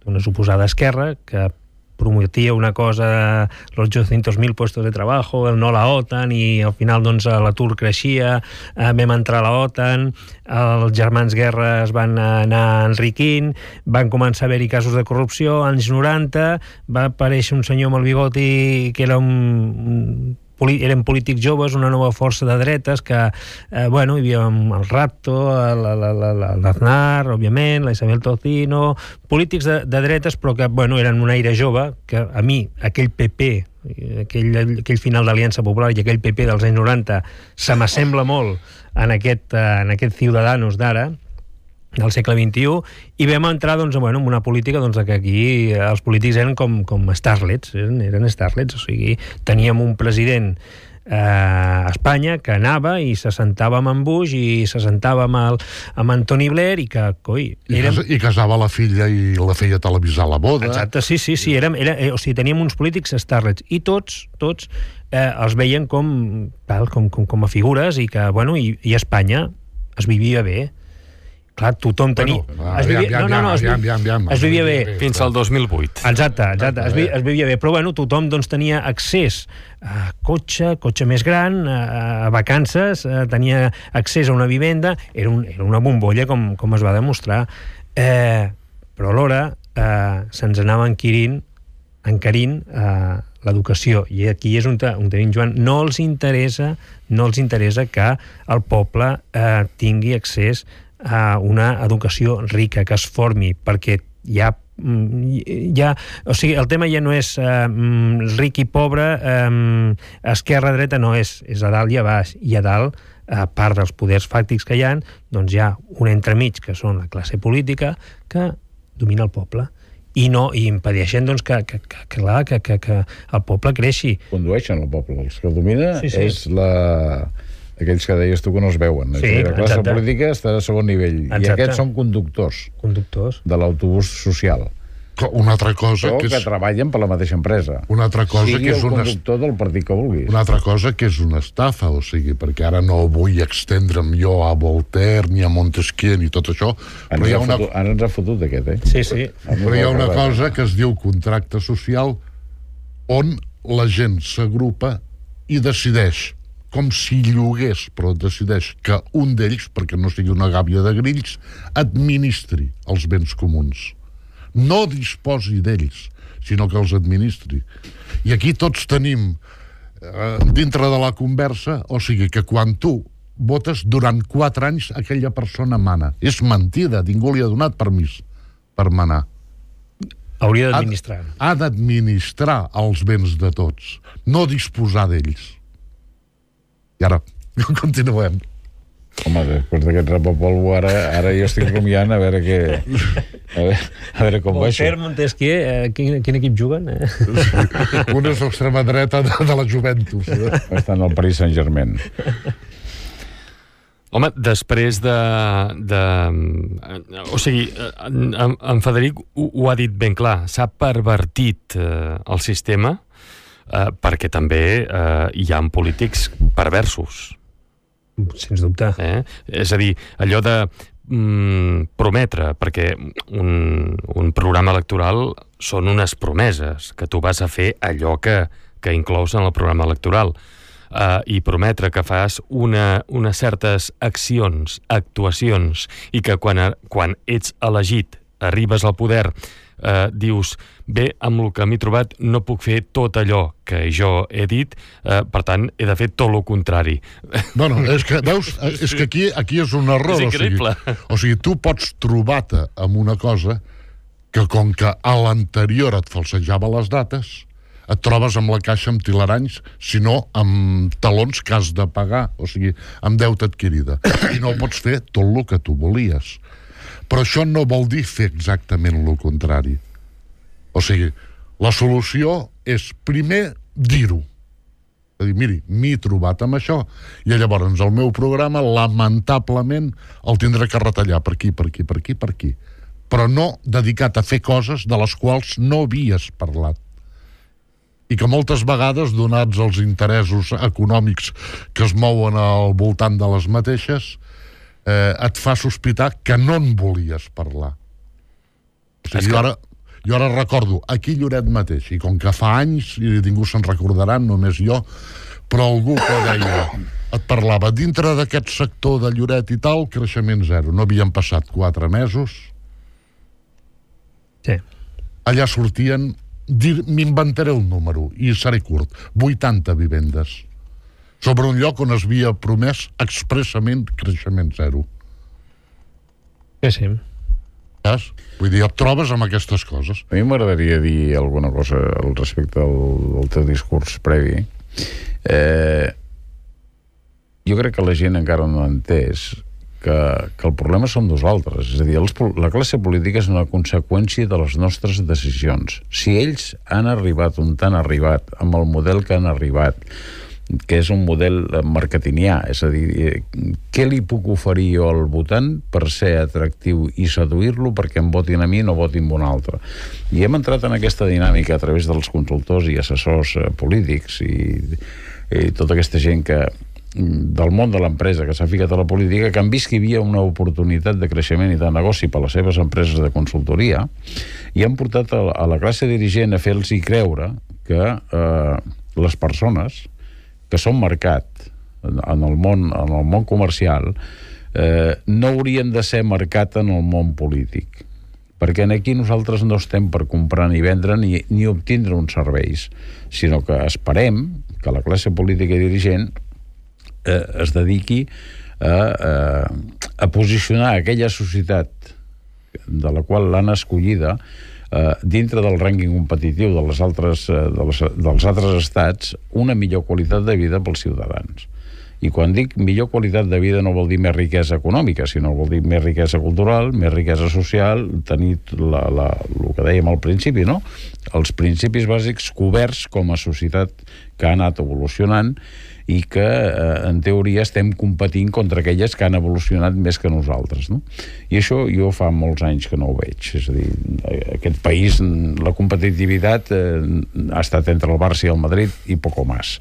d'una suposada esquerra, que prometia una cosa, los ochocientos mil puestos de trabajo, el no a la OTAN, i al final doncs, l'atur creixia, eh, vam entrar a la OTAN, els germans Guerra es van anar enriquint, van començar a haver-hi casos de corrupció, anys noranta, va aparèixer un senyor amb el bigoti que era un... eren polítics joves, una nova força de dretes que, eh, bueno, hi havia el Rapto, l'Aznar, òbviament, la Isabel Tocino, polítics de, de dretes, però que, bueno, eren un aire jove, que a mi, aquell P P, aquell, aquell final d'Aliança Popular i aquell P P dels anys noranta, se m'assembla molt en aquest, en aquest Ciudadanos d'ara, del segle vint-i-u, i vam entrar doncs, bueno, en una política doncs, que aquí els polítics eren com, com starlets, eren, eren starlets, o sigui, teníem un president eh, a Espanya que anava i se sentava amb en Bush i se sentava amb, el, amb Antoni Blair i que, coi... Érem... I, I casava la filla i la feia televisar la boda. Exacte, sí, sí, sí, érem, era, eh, o sigui, teníem uns polítics starlets i tots, tots eh, els veien com, tal, com, com, com a figures i que, bueno, i, i a Espanya es vivia bé. clar, tothom tenia... Bueno, es vivia, no, no, no, es, aviam, aviam, aviam, es vivia bé. Fins al dos mil vuit. Exacte, exacte, es, vi, es vivia bé. Però, bueno, tothom doncs, tenia accés a cotxe, cotxe més gran, a, a vacances, a, tenia accés a una vivenda, era, un, era una bombolla, com, com es va demostrar. Eh, però alhora eh, se'ns anava enquirint, encarint eh, l'educació. I aquí és on, on tenim, Joan, no els interessa, no els interessa que el poble eh, tingui accés a una educació rica, que es formi, perquè hi ha, hi ha o sigui, el tema ja no és eh, ric i pobre, eh, esquerra-dreta, no, és, és a dalt i a baix, i a dalt, a part dels poders fàctics que hi ha, doncs hi ha un entremig, que són la classe política, que domina el poble, i no, i impedeixen doncs, que, que, que, clar, que, que, que el poble creixi. Condueixen el poble, els que el domina sí, sí. és la... aquells que deies tu que no es veuen. Sí, la classe exacte. política està a segon nivell. Exacte. I aquests són conductors. Conductors. De l'autobús social. Una altra cosa Però que, que és... treballen per la mateixa empresa. Una altra cosa sigui que és el una... conductor del partit que vulguis. Una altra cosa que és una estafa, o sigui, perquè ara no vull extendre'm jo a Voltaire, ni a Montesquieu, ni tot això, Ens però hi ha una... fotut, ara ens ha fotut aquest, eh? Sí, sí. Però hi ha una cosa que es diu contracte social on la gent s'agrupa i decideix, com si llogués, però decideix que un d'ells, perquè no sigui una gàbia de grills, administri els béns comuns. No disposi d'ells, sinó que els administri. I aquí tots tenim, eh, dintre de la conversa, o sigui que quan tu votes, durant quatre anys aquella persona mana. És mentida, ningú li ha donat permís per manar. Hauria d'administrar. Ha, ha d'administrar els béns de tots, no disposar d'ells. I ara, continuem. Home, després d'aquest rapapolvo, ara, ara jo estic rumiant a veure què... A veure, a veure com va això. Voltaire, Montesquieu, eh, quin, quin equip juguen? Eh? Un és l'extrema dreta de, de la Juventus. Eh? Estan al Paris Saint-Germain. Home, després de... de o sigui, en, en Frederic ho, ho ha dit ben clar, s'ha pervertit eh, el sistema eh, perquè també eh, hi ha polítics perversos. Sens dubte. Eh? És a dir, allò de mm, prometre, perquè un, un programa electoral són unes promeses, que tu vas a fer allò que, que inclous en el programa electoral. Uh, i prometre que fas una, unes certes accions, actuacions, i que quan, quan ets elegit, arribes al poder, uh, dius, bé, amb el que m'he trobat no puc fer tot allò que jo he dit, uh, per tant, he de fer tot el contrari. Bueno, és que, veus, és que aquí, aquí és un error. És increïble. O sigui, o sigui, tu pots trobar-te amb una cosa que, com que a l'anterior et falsejava les dates, et trobes amb la caixa amb tilaranys, sinó amb talons que has de pagar, o sigui, amb deute adquirida. I no pots fer tot el que tu volies. Però això no vol dir fer exactament el contrari. O sigui, la solució és primer dir-ho. És a dir, miri, m'he trobat amb això, i llavors el meu programa, lamentablement, el tindré que retallar per aquí, per aquí, per aquí, per aquí. Però no dedicat a fer coses de les quals no havies parlat. I que moltes vegades, donats els interessos econòmics que es mouen al voltant de les mateixes, eh, et fa sospitar que no en volies parlar. O sigui, jo, ara, jo ara recordo aquí Lloret mateix, i com que fa anys, i ningú se'n recordarà, només jo, però algú que deia, et parlava, dintre d'aquest sector de Lloret i tal, creixement zero. No havien passat quatre mesos. Sí. Allà sortien... m'inventaré un número i seré curt, vuitanta vivendes sobre un lloc on es havia promès expressament creixement zero. Sí, sí. Saps? Vull dir, et trobes amb aquestes coses. A mi m'agradaria dir alguna cosa al respecte al, al teu discurs previ. Eh, jo crec que la gent encara no ha entès que, que el problema som nosaltres. És a dir, els, la classe política és una conseqüència de les nostres decisions. Si ells han arribat on han arribat, amb el model que han arribat, que és un model marketingià, és a dir, què li puc oferir jo al votant per ser atractiu i seduir-lo perquè em votin a mi i no votin a un altre? I hem entrat en aquesta dinàmica a través dels consultors i assessors polítics i, i tota aquesta gent que del món de l'empresa que s'ha ficat a la política, que han vist que hi havia una oportunitat de creixement i de negoci per a les seves empreses de consultoria i han portat a la, a la classe dirigent a fer-los creure que eh, les persones que són mercat en el món, en el món comercial eh, no haurien de ser mercat en el món polític, perquè aquí nosaltres no estem per comprar ni vendre ni, ni obtindre uns serveis, sinó que esperem que la classe política i dirigent eh, es dediqui a, a, a posicionar aquella societat de la qual l'han escollida eh, dintre del rànquing competitiu de les altres, eh, dels, dels altres estats, una millor qualitat de vida pels ciutadans. I quan dic millor qualitat de vida no vol dir més riquesa econòmica, sinó vol dir més riquesa cultural, més riquesa social, tenir la, la, el que dèiem al principi, no? Els principis bàsics coberts com a societat que ha anat evolucionant i que, eh, en teoria, estem competint contra aquelles que han evolucionat més que nosaltres, no? I això jo fa molts anys que no ho veig. És a dir, aquest país, la competitivitat eh, ha estat entre el Barça i el Madrid i poco más.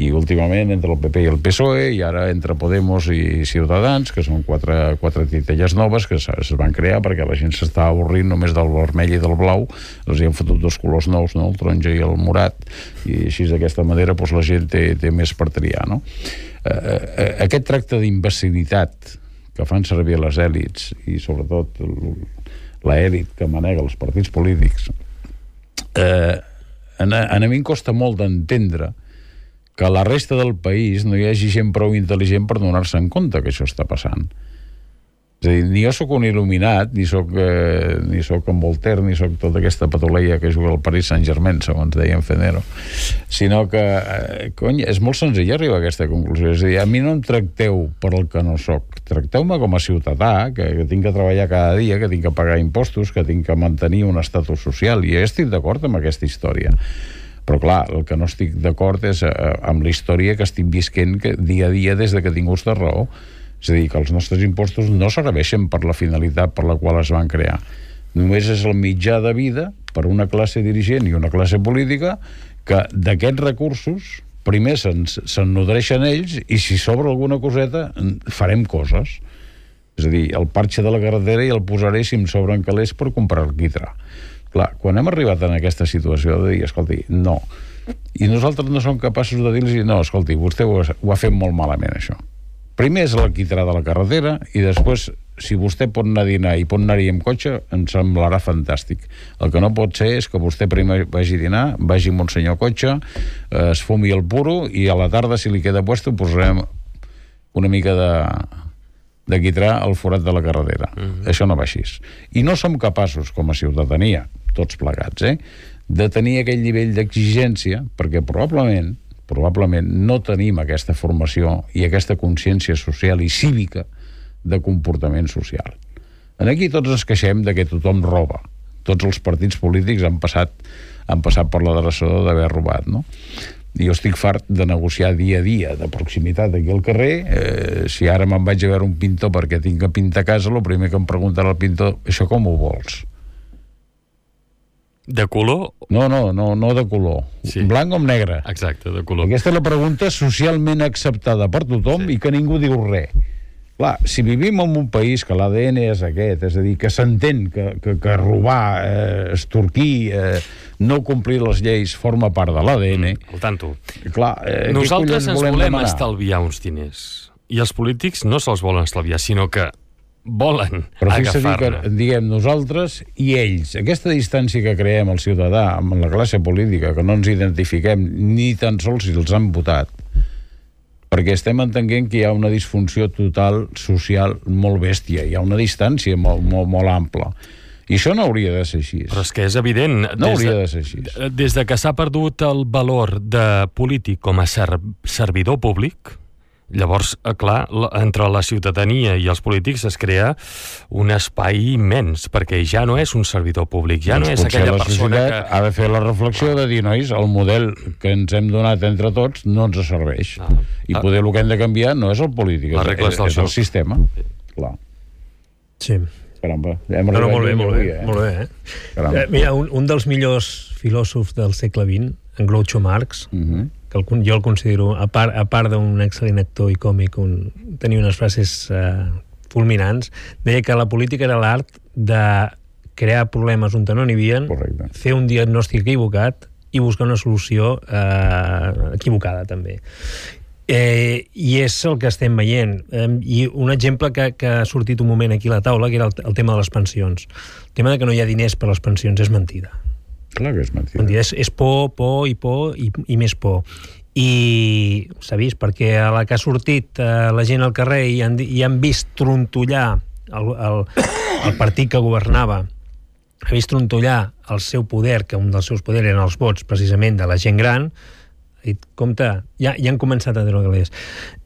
I últimament entre el P P i el P S O E, i ara entre Podemos i Ciutadans, que són quatre, quatre titelles noves que es van crear perquè la gent s'estava avorrint només del vermell i del blau, els hi han fotut dos colors nous, no? El taronja i el morat, i així d'aquesta manera doncs, la gent té, té més per triar, no? Eh, eh, aquest tracte d'imbecilitat que fan servir les èlits i sobretot l'èlit que manega els partits polítics, eh, a, a mi em costa molt d'entendre que a la resta del país no hi hagi gent prou intel·ligent per donar-se en compte que això està passant. És a dir, ni jo sóc un il·luminat, ni sóc, eh, ni sóc en Voltaire, ni sóc tota aquesta patoleia que juga al Paris Saint-Germain, segons deia en Fenero, sinó que, eh, cony, és molt senzill arribar a aquesta conclusió. És a dir, a mi no em tracteu per el que no sóc, tracteu-me com a ciutadà, que, que tinc que treballar cada dia, que tinc que pagar impostos, que tinc que mantenir un estatus social, i jo estic d'acord amb aquesta història. Però clar, el que no estic d'acord és eh, amb la història que estic visquent que, dia a dia des de que tinc ús de raó. És a dir, que els nostres impostos no serveixen per la finalitat per la qual es van crear. Només és el mitjà de vida per una classe dirigent i una classe política que d'aquests recursos primer se'n se'n nodreixen ells i si sobra alguna coseta farem coses. És a dir, el parxe de la carretera i el posaré si em sobren calés per comprar el quitrà. Clar, quan hem arribat en aquesta situació de dir, escolti, no. I nosaltres no som capaços de dir-los, no, escolti, vostè ho ha, ho ha fet molt malament, això. Primer és l'alquitrà de la carretera i després, si vostè pot anar a dinar i pot anar-hi amb cotxe, em semblarà fantàstic. El que no pot ser és que vostè primer vagi a dinar, vagi amb un senyor cotxe, eh, es fumi el puro i a la tarda, si li queda puesto, posarem una mica de, de quitrà al forat de la carretera. Uh-huh. Això no va així. I no som capaços, com a ciutadania, tots plegats, eh, de tenir aquell nivell d'exigència, perquè probablement probablement no tenim aquesta formació i aquesta consciència social i cívica de comportament social. En aquí tots ens queixem de que tothom roba. Tots els partits polítics han passat, han passat per la dreçó d'haver robat, no? I jo estic fart de negociar dia a dia, de proximitat aquí al carrer. Eh, si ara me'n vaig a veure un pintor perquè tinc que pintar casa, el primer que em preguntarà el pintor, això com ho vols? De color? No, no, no, no de color. Sí. Blanc o negre. Exacte, de color. Aquesta és la pregunta socialment acceptada per tothom sí. I que ningú diu res. Clar, si vivim en un país que l'A D N és aquest, és a dir, que s'entén que, que, que robar, eh, estorquir, eh, no complir les lleis forma part de l'A D N... Mm, al tanto. Clar, eh, nosaltres ens volem demanar? estalviar uns diners. I els polítics no se'ls volen estalviar, sinó que volen però agafar-ne. Que, diguem, nosaltres i ells, aquesta distància que creem el ciutadà amb la classe política, que no ens identifiquem ni tan sols si els han votat, perquè estem entenent que hi ha una disfunció total social molt bèstia, hi ha una distància molt, molt, molt ampla. I això no hauria de ser així. Però és que és evident. No hauria de, de ser així. Des de que s'ha perdut el valor de polític com a ser, servidor públic, llavors, clar, entre la ciutadania i els polítics es crea un espai immens, perquè ja no és un servidor públic, ja doncs no és aquella persona que... ha de fer la reflexió de dir, nois, el model que ens hem donat entre tots no ens serveix. Ah. I poder el que hem de canviar no és el polític, és, és, és el sistema. Clar. Sí. Caramba, hem no, no, molt bé, molt bé, avui, eh? molt bé, eh? Eh, mira, un, un dels millors filòsofs del segle vint, en Groucho Marx, uh-huh. que el, jo el considero, a part, a part d'un excel·lent actor i còmic, un, tenia unes frases eh, fulminants, deia que la política era l'art de crear problemes on no n'hi havia, Correcte. fer un diagnòstic equivocat i buscar una solució eh, equivocada, també. Eh, I és el que estem veient. Eh, I un exemple que, que ha sortit un moment aquí a la taula, que era el, el tema de les pensions. El tema de que no hi ha diners per a les pensions és mentida. Clar que és mentida. mentida. És, és por, por i por i, i més por. I s'ha vist, perquè a la que ha sortit eh, la gent al carrer i han, i han vist trontollar el, el, el partit que governava, ha vist trontollar el seu poder, que un dels seus poders eren els vots precisament de la gent gran, ha dit, compte, ja, ja han començat a treure calés.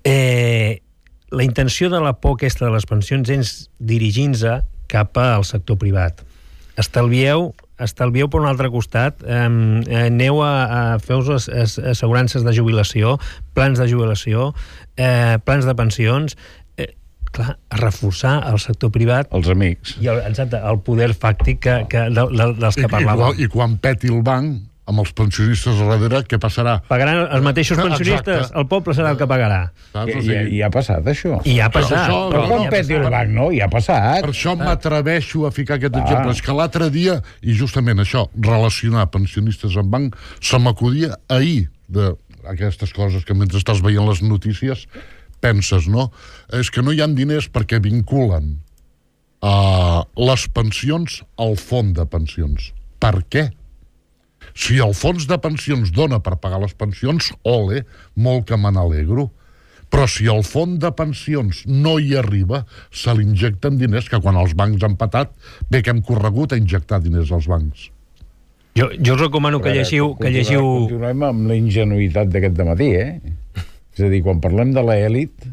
Eh, la intenció de la por aquesta de les pensions és dirigir-se cap al sector privat. Estalvieu, estalvieu per un altre costat, eh, aneu a, a fer-vos assegurances de jubilació, plans de jubilació, eh, plans de pensions, eh, clar, a reforçar el sector privat. Els amics. I el, exacte, el poder fàctic que, que, de, de, dels que I, parlàvem. I, I quan peti el banc, amb els pensionistes a darrere, què passarà? Pagaran els mateixos pensionistes, Exacte. el poble serà el que pagarà. Saps? I, O i, sigui, I ha passat, això. I ha passat. Això- Però no, quan no, peti el banc, no? I ha passat. Per això m'atreveixo a ficar aquest Ah. exemple. És que l'altre dia, i justament això, relacionar pensionistes amb banc, se m'acudia ahir d'aquestes coses que mentre estàs veient les notícies penses, no? És que no hi ha diners perquè vinculen uh, les pensions al fons de pensions. Per què? Si el fons de pensions dona per pagar les pensions, ole, molt que me n'alegro. Però si el fons de pensions no hi arriba, se li injecten diners, que quan els bancs han patat, bé que hem corregut a injectar diners als bancs. Jo, jo us recomano que llegiu... Que llegiu... Continuem amb la ingenuïtat d'aquest dematí, eh? És a dir, quan parlem de l'elit,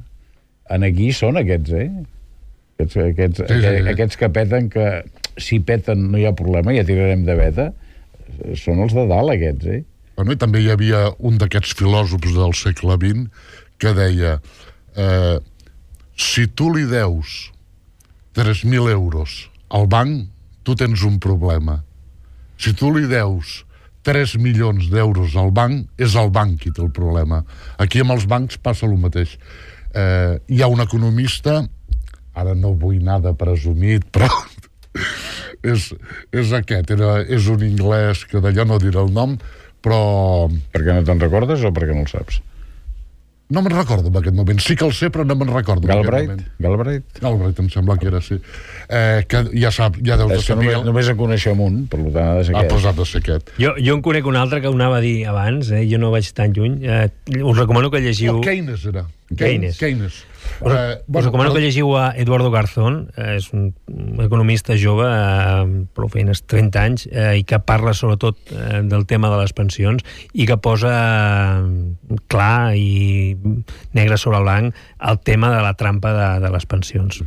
en aquí són aquests, eh? Aquests, aquests, Sí, sí, sí. aquests que peten, que si peten no hi ha problema, ja tirarem de veta, són els de dalt, aquests, eh? Bueno, i també hi havia un d'aquests filòsofs del segle vint que deia eh, si tu li deus tres mil euros al banc, tu tens un problema. Si tu li deus tres milions d'euros al banc, és el banc qui té el problema. Aquí amb els bancs passa el mateix. Eh, hi ha un economista, ara no vull anar de presumit, però és, és aquest, era, és un anglès que d'allò no diré el nom, però Perquè no te'n recordes o perquè no el saps? no me'n recordo en aquest moment. Sí que el sé, però no me'n recordo en aquest Galbraith? moment. Galbraith? Galbraith, em sembla que era, sí. Eh, que ja sap, ja deu de És que saber... només, només en coneixem un, per tant ha de ser Ah, aquest. doncs ha de ser aquest. Jo, jo en conec un altre que ho anava a dir abans, eh? Jo no vaig tan lluny. Eh, us recomano que llegiu... Oh, Keynes era. Keynes. Keynes. Us, Eh, us recomano que llegiu a Eduardo Garzón, eh, és un economista jove, eh, prou feines, trenta anys, eh, i que parla sobretot eh, del tema de les pensions i que posa eh, clar i negre sobre blanc el tema de la trampa de, de les pensions.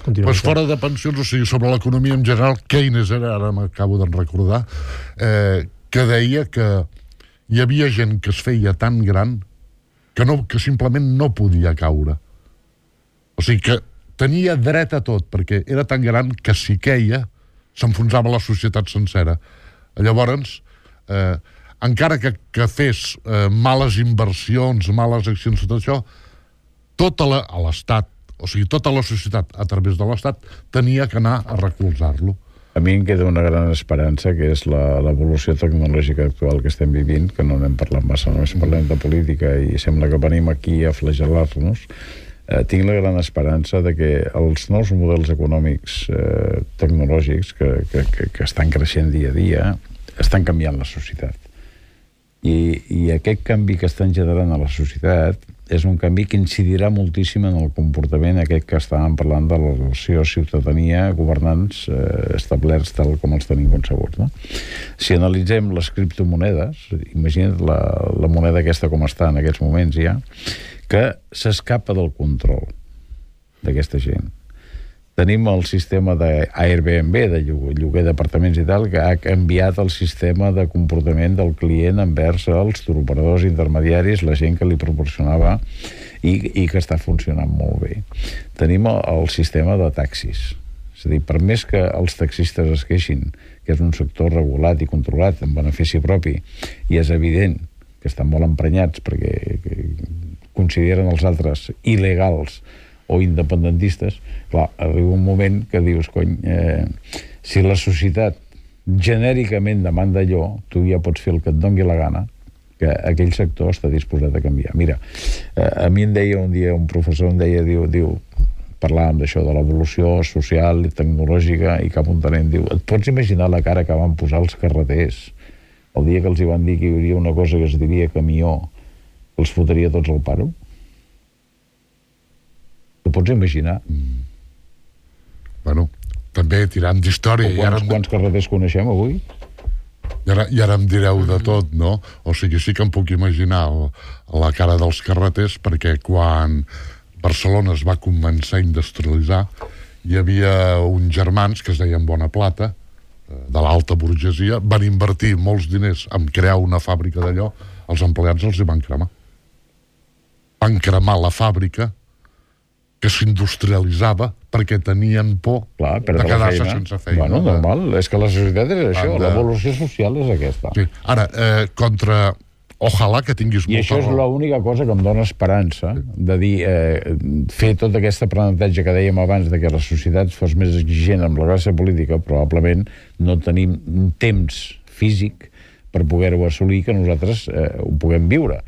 Continuem. Pues fora de pensions, o sigui, sobre l'economia en general, Keynes era, ara m'acabo de recordar, eh, que deia que hi havia gent que es feia tan gran que, no, que simplement no podia caure. O sigui que tenia dret a tot, perquè era tan gran que si queia s'enfonsava la societat sencera. Llavors, eh, encara que, que fes eh, males inversions, males accions, tot això, tota la, a l'Estat, o sigui, tota la societat, a través de l'Estat, tenia que anar a recolzar-lo. A mi em queda una gran esperança, que és la- l'evolució tecnològica actual que estem vivint, que no n'hem parlat massa, només parlem de política i sembla que venim aquí a flagel·lar-nos. Eh, tinc la gran esperança de que els nous models econòmics eh, tecnològics que, que, que, que estan creixent dia a dia estan canviant la societat. I, i aquest canvi que estan generant a la societat és un canvi que incidirà moltíssim en el comportament aquest que estàvem parlant de la relació ciutadania-governants eh, establerts tal com els tenim concebuts, no? Si analitzem les criptomonedes, imagina't la, la moneda aquesta com està en aquests moments ja, que s'escapa del control d'aquesta gent. Tenim el sistema d'Airbnb, de lloguer d'apartaments i tal, que ha canviat el sistema de comportament del client envers els turoperadors intermediaris, la gent que li proporcionava i, i que està funcionant molt bé. Tenim el, el sistema de taxis. És a dir, per més que els taxistes es queixin que és un sector regulat i controlat en benefici propi, i és evident que estan molt emprenyats perquè consideren els altres il·legals o independentistes, clar, arriba un moment que dius, cony, eh, si la societat genèricament demanda allò, tu ja pots fer el que et dongui la gana, que aquell sector està disposat a canviar. Mira, eh, a mi em deia un dia, un professor em deia, diu, diu parlàvem d'això, de l'evolució social i tecnològica, i cap un talent diu, et pots imaginar la cara que van posar els carreters el dia que els hi van dir que hi hauria una cosa que es diria camió, que els fotria tots al paro? T'ho pots imaginar? Mm. Bueno, també tirant d'història... O quants, ara... quants carreters coneixem avui? I ara, I ara em direu de tot, no? O sigui, sí que em puc imaginar el, la cara dels carreters, perquè quan Barcelona es va començar a industrialitzar, hi havia uns germans que es deien Bonaplata, de l'alta burgesia, van invertir molts diners en crear una fàbrica d'allò, els empleats els hi van cremar. Van cremar la fàbrica que s'industrialitzava perquè tenien por Clar, de quedar-se sense feina. Bueno, normal, és que la societat és això, de... l'evolució social és aquesta. Sí. Ara, eh, contra... Ojalà que tinguis I molta això és raó. l'única cosa que em dona esperança, de dir, eh, fer tot aquest aprenentatge que dèiem abans de que la societat fos més exigent amb la classe política, probablement no tenim un temps físic per poder-ho assolir que nosaltres eh, ho puguem viure.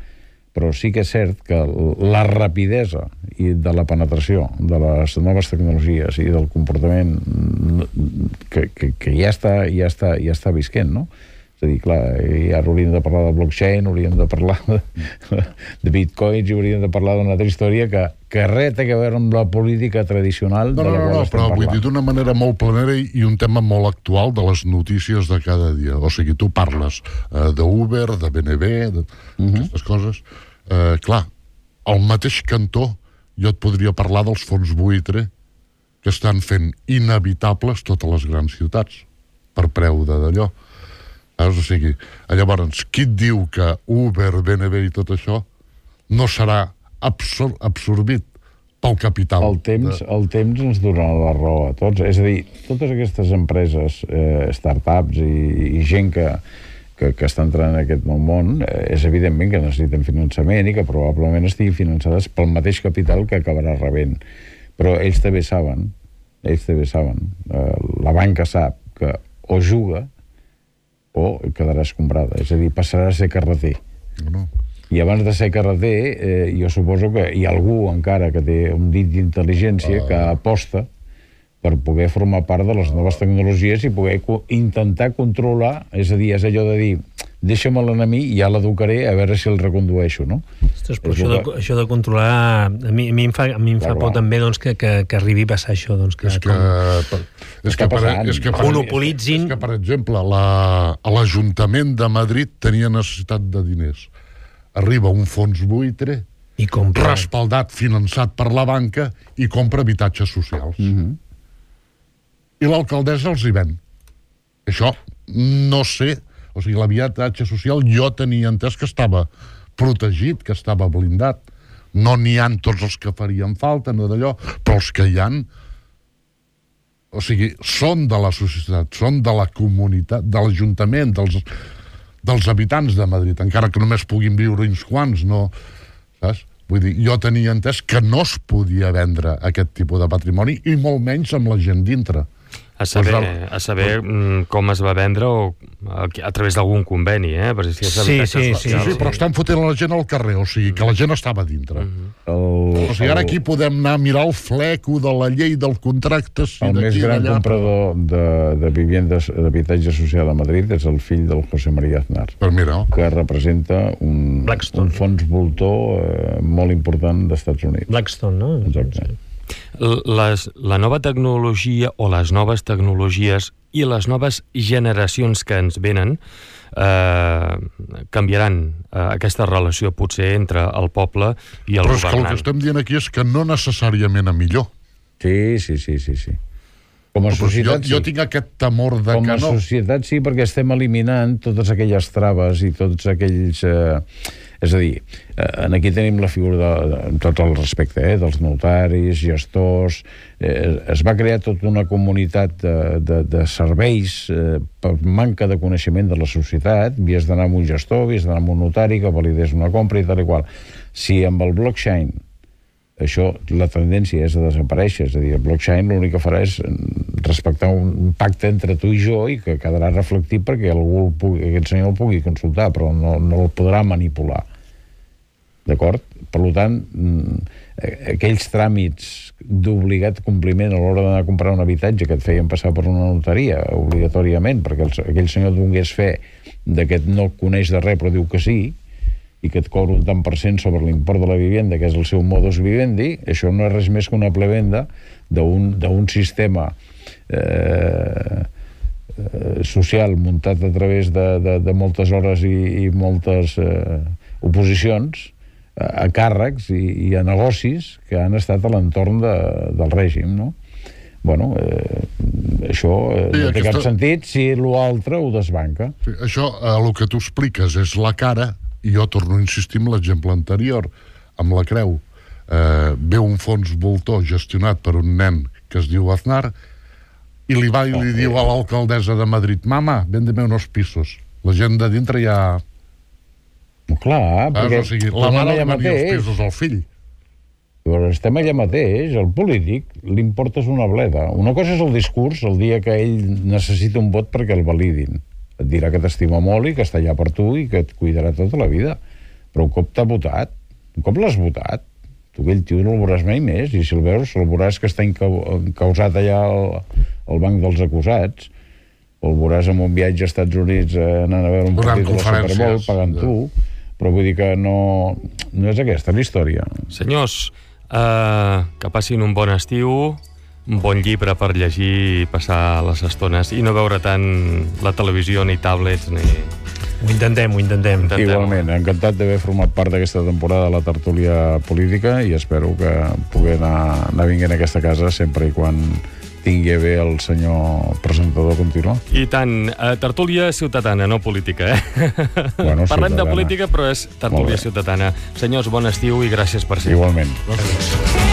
Però sí que és cert que la rapidesa i de la penetració de les noves tecnologies i del comportament que, que, que ja està, ja està, ja està visquent, no? És a dir, clar, i ara hauríem de parlar de blockchain, hauríem de parlar de, de bitcoins i hauríem de parlar d'una altra història que, que res té a veure amb la política tradicional no, de la no, qual no, estem però parlant. vull dir d'una manera molt planera i, i un tema molt actual de les notícies de cada dia. O sigui, tu parles eh, d'Uber, de B N B, de uh-huh. aquestes coses. Eh, clar, al mateix cantó jo et podria parlar dels fons buitre que estan fent inevitables totes les grans ciutats per preu de d'allò. O sigui, llavors, qui et diu que Uber, B N B i tot això no serà absor absorbit pel capital? El temps, de... el temps ens donarà la raó a tots. És a dir, totes aquestes empreses, eh, startups i, i gent que, que, que està entrant en aquest nou món, eh, és evidentment que necessiten finançament i que probablement estiguin finançades pel mateix capital que acabarà rebent. Però ells també saben, ells també saben, eh, la banca sap que o juga o quedarà escombrada, és a dir, passarà a ser carreter. No. I abans de ser carreter, eh, jo suposo que hi ha algú encara que té un dit d'intel·ligència uh. que aposta per poder formar part de les noves tecnologies i poder co intentar controlar, és a dir, és allò de dir, deixa'm l'enemic i ja l'educaré a veure si el recondueixo, no? Ostres, però això, que... de, això de controlar... A mi, a mi em fa, a mi em fa por també doncs, que, que, que arribi a passar això. Doncs, que, és que... Com... És que, per, és que per, monopolitzin... És que, per exemple, l'Ajuntament de Madrid tenia necessitat de diners. Arriba un fons buitre, I compra... respaldat, finançat per la banca, i compra habitatges socials. Mm-hmm. I l'alcaldessa els hi ven. Això no sé... O sigui, l'habitatge social jo tenia entès que estava protegit, que estava blindat. No n'hi ha tots els que farien falta, no d'allò, però els que hi han... O sigui, són de la societat, són de la comunitat, de l'Ajuntament, dels, dels habitants de Madrid, encara que només puguin viure uns quants, no... Saps? Vull dir, jo tenia entès que no es podia vendre aquest tipus de patrimoni, i molt menys amb la gent dintre. A saber, a saber com es va vendre o a, a través d'algun conveni, eh? Per si sí, sí, sí, sí, sí, però estan fotent la gent al carrer, o sigui, que la gent estava dintre. Mm-hmm. el, o sigui, ara aquí podem anar a mirar el fleco de la llei del contracte... Si el més gran allà, comprador de, de viviendes d'habitatge social a Madrid és el fill del José María Aznar, per mirar. que representa un, un fons voltor eh, molt important d'Estats Units. Blackstone, no? Exacte. Sí. Les, la nova tecnologia o les noves tecnologies i les noves generacions que ens venen eh, canviaran eh, aquesta relació potser entre el poble i el Però és governant. que el que estem dient aquí és que no necessàriament a millor. Sí, sí, sí, sí, sí. Com a societat, jo, jo tinc aquest temor de Com que a no. societat sí, perquè estem eliminant totes aquelles traves i tots aquells... Eh... És a dir, eh, aquí tenim la figura, de, de, amb tot el respecte, eh, dels notaris, gestors... Eh, es va crear tota una comunitat de, de, de serveis eh, per manca de coneixement de la societat. Havies d'anar amb un gestor, havies d'anar amb un notari que validés una compra i tal i qual. Si amb el blockchain això, la tendència és a desaparèixer, és a dir, el blockchain l'únic que farà és respectar un pacte entre tu i jo i que quedarà reflectit perquè algú el pugui, aquest senyor el pugui consultar, però no, no el podrà manipular. D'acord? Per tant, aquells tràmits d'obligat compliment a l'hora d'anar a comprar un habitatge que et feien passar per una notaria, obligatòriament, perquè el, aquell senyor donés fe de que no coneix de res però diu que sí, i que et cobra un tant per cent sobre l'import de la vivenda, que és el seu modus vivendi, això no és res més que una plevenda d'un sistema eh, social muntat a través de, de, de moltes hores i, i moltes eh, oposicions a, a càrrecs i, i a negocis que han estat a l'entorn de, del règim, no? Bueno, eh, això eh, sí, no té aquesta... cap sentit si l'altre ho desbanca. Sí, això, eh, el que tu expliques és la cara. I jo torno a insistir en l'exemple anterior, amb la creu. Eh, ve un fons voltor gestionat per un nen que es diu Aznar i li va i li diu a l'alcaldessa de Madrid: mama, véndeme unos pisos. La gent de dintre ja... No, clar, perquè... O sigui, la mare li venia els pisos al fill. Però estem allà mateix, el polític li importa una bleda. Una cosa és el discurs el dia que ell necessita un vot perquè el validin. Et dirà que t'estima molt i que està allà per tu i que et cuidarà tota la vida. Però un cop t'ha votat, un cop l'has votat, tu aquell tio no el veuràs mai més, i si el veus, el veuràs que està encausat allà al, al banc dels acusats, o el veuràs en un viatge als Estats Units eh, anant a veure un partit de la Super Bowl pagant tu, però vull dir que no, no és aquesta la història. Senyors, eh, que passin un bon estiu, un bon llibre per llegir i passar les estones i no veure tant la televisió ni tablets ni... Ho intentem, ho intentem. intentem. Igualment, encantat d'haver format part d'aquesta temporada de la tertúlia política i espero que pugui anar, anar vinguent a aquesta casa sempre i quan tingui bé el senyor presentador continuar. I tant, eh, tertúlia ciutadana, no política, eh? Bueno, parlem ciutadana. de política, però és tertúlia ciutadana. Senyors, bon estiu i gràcies per ser. Igualment. Gràcies.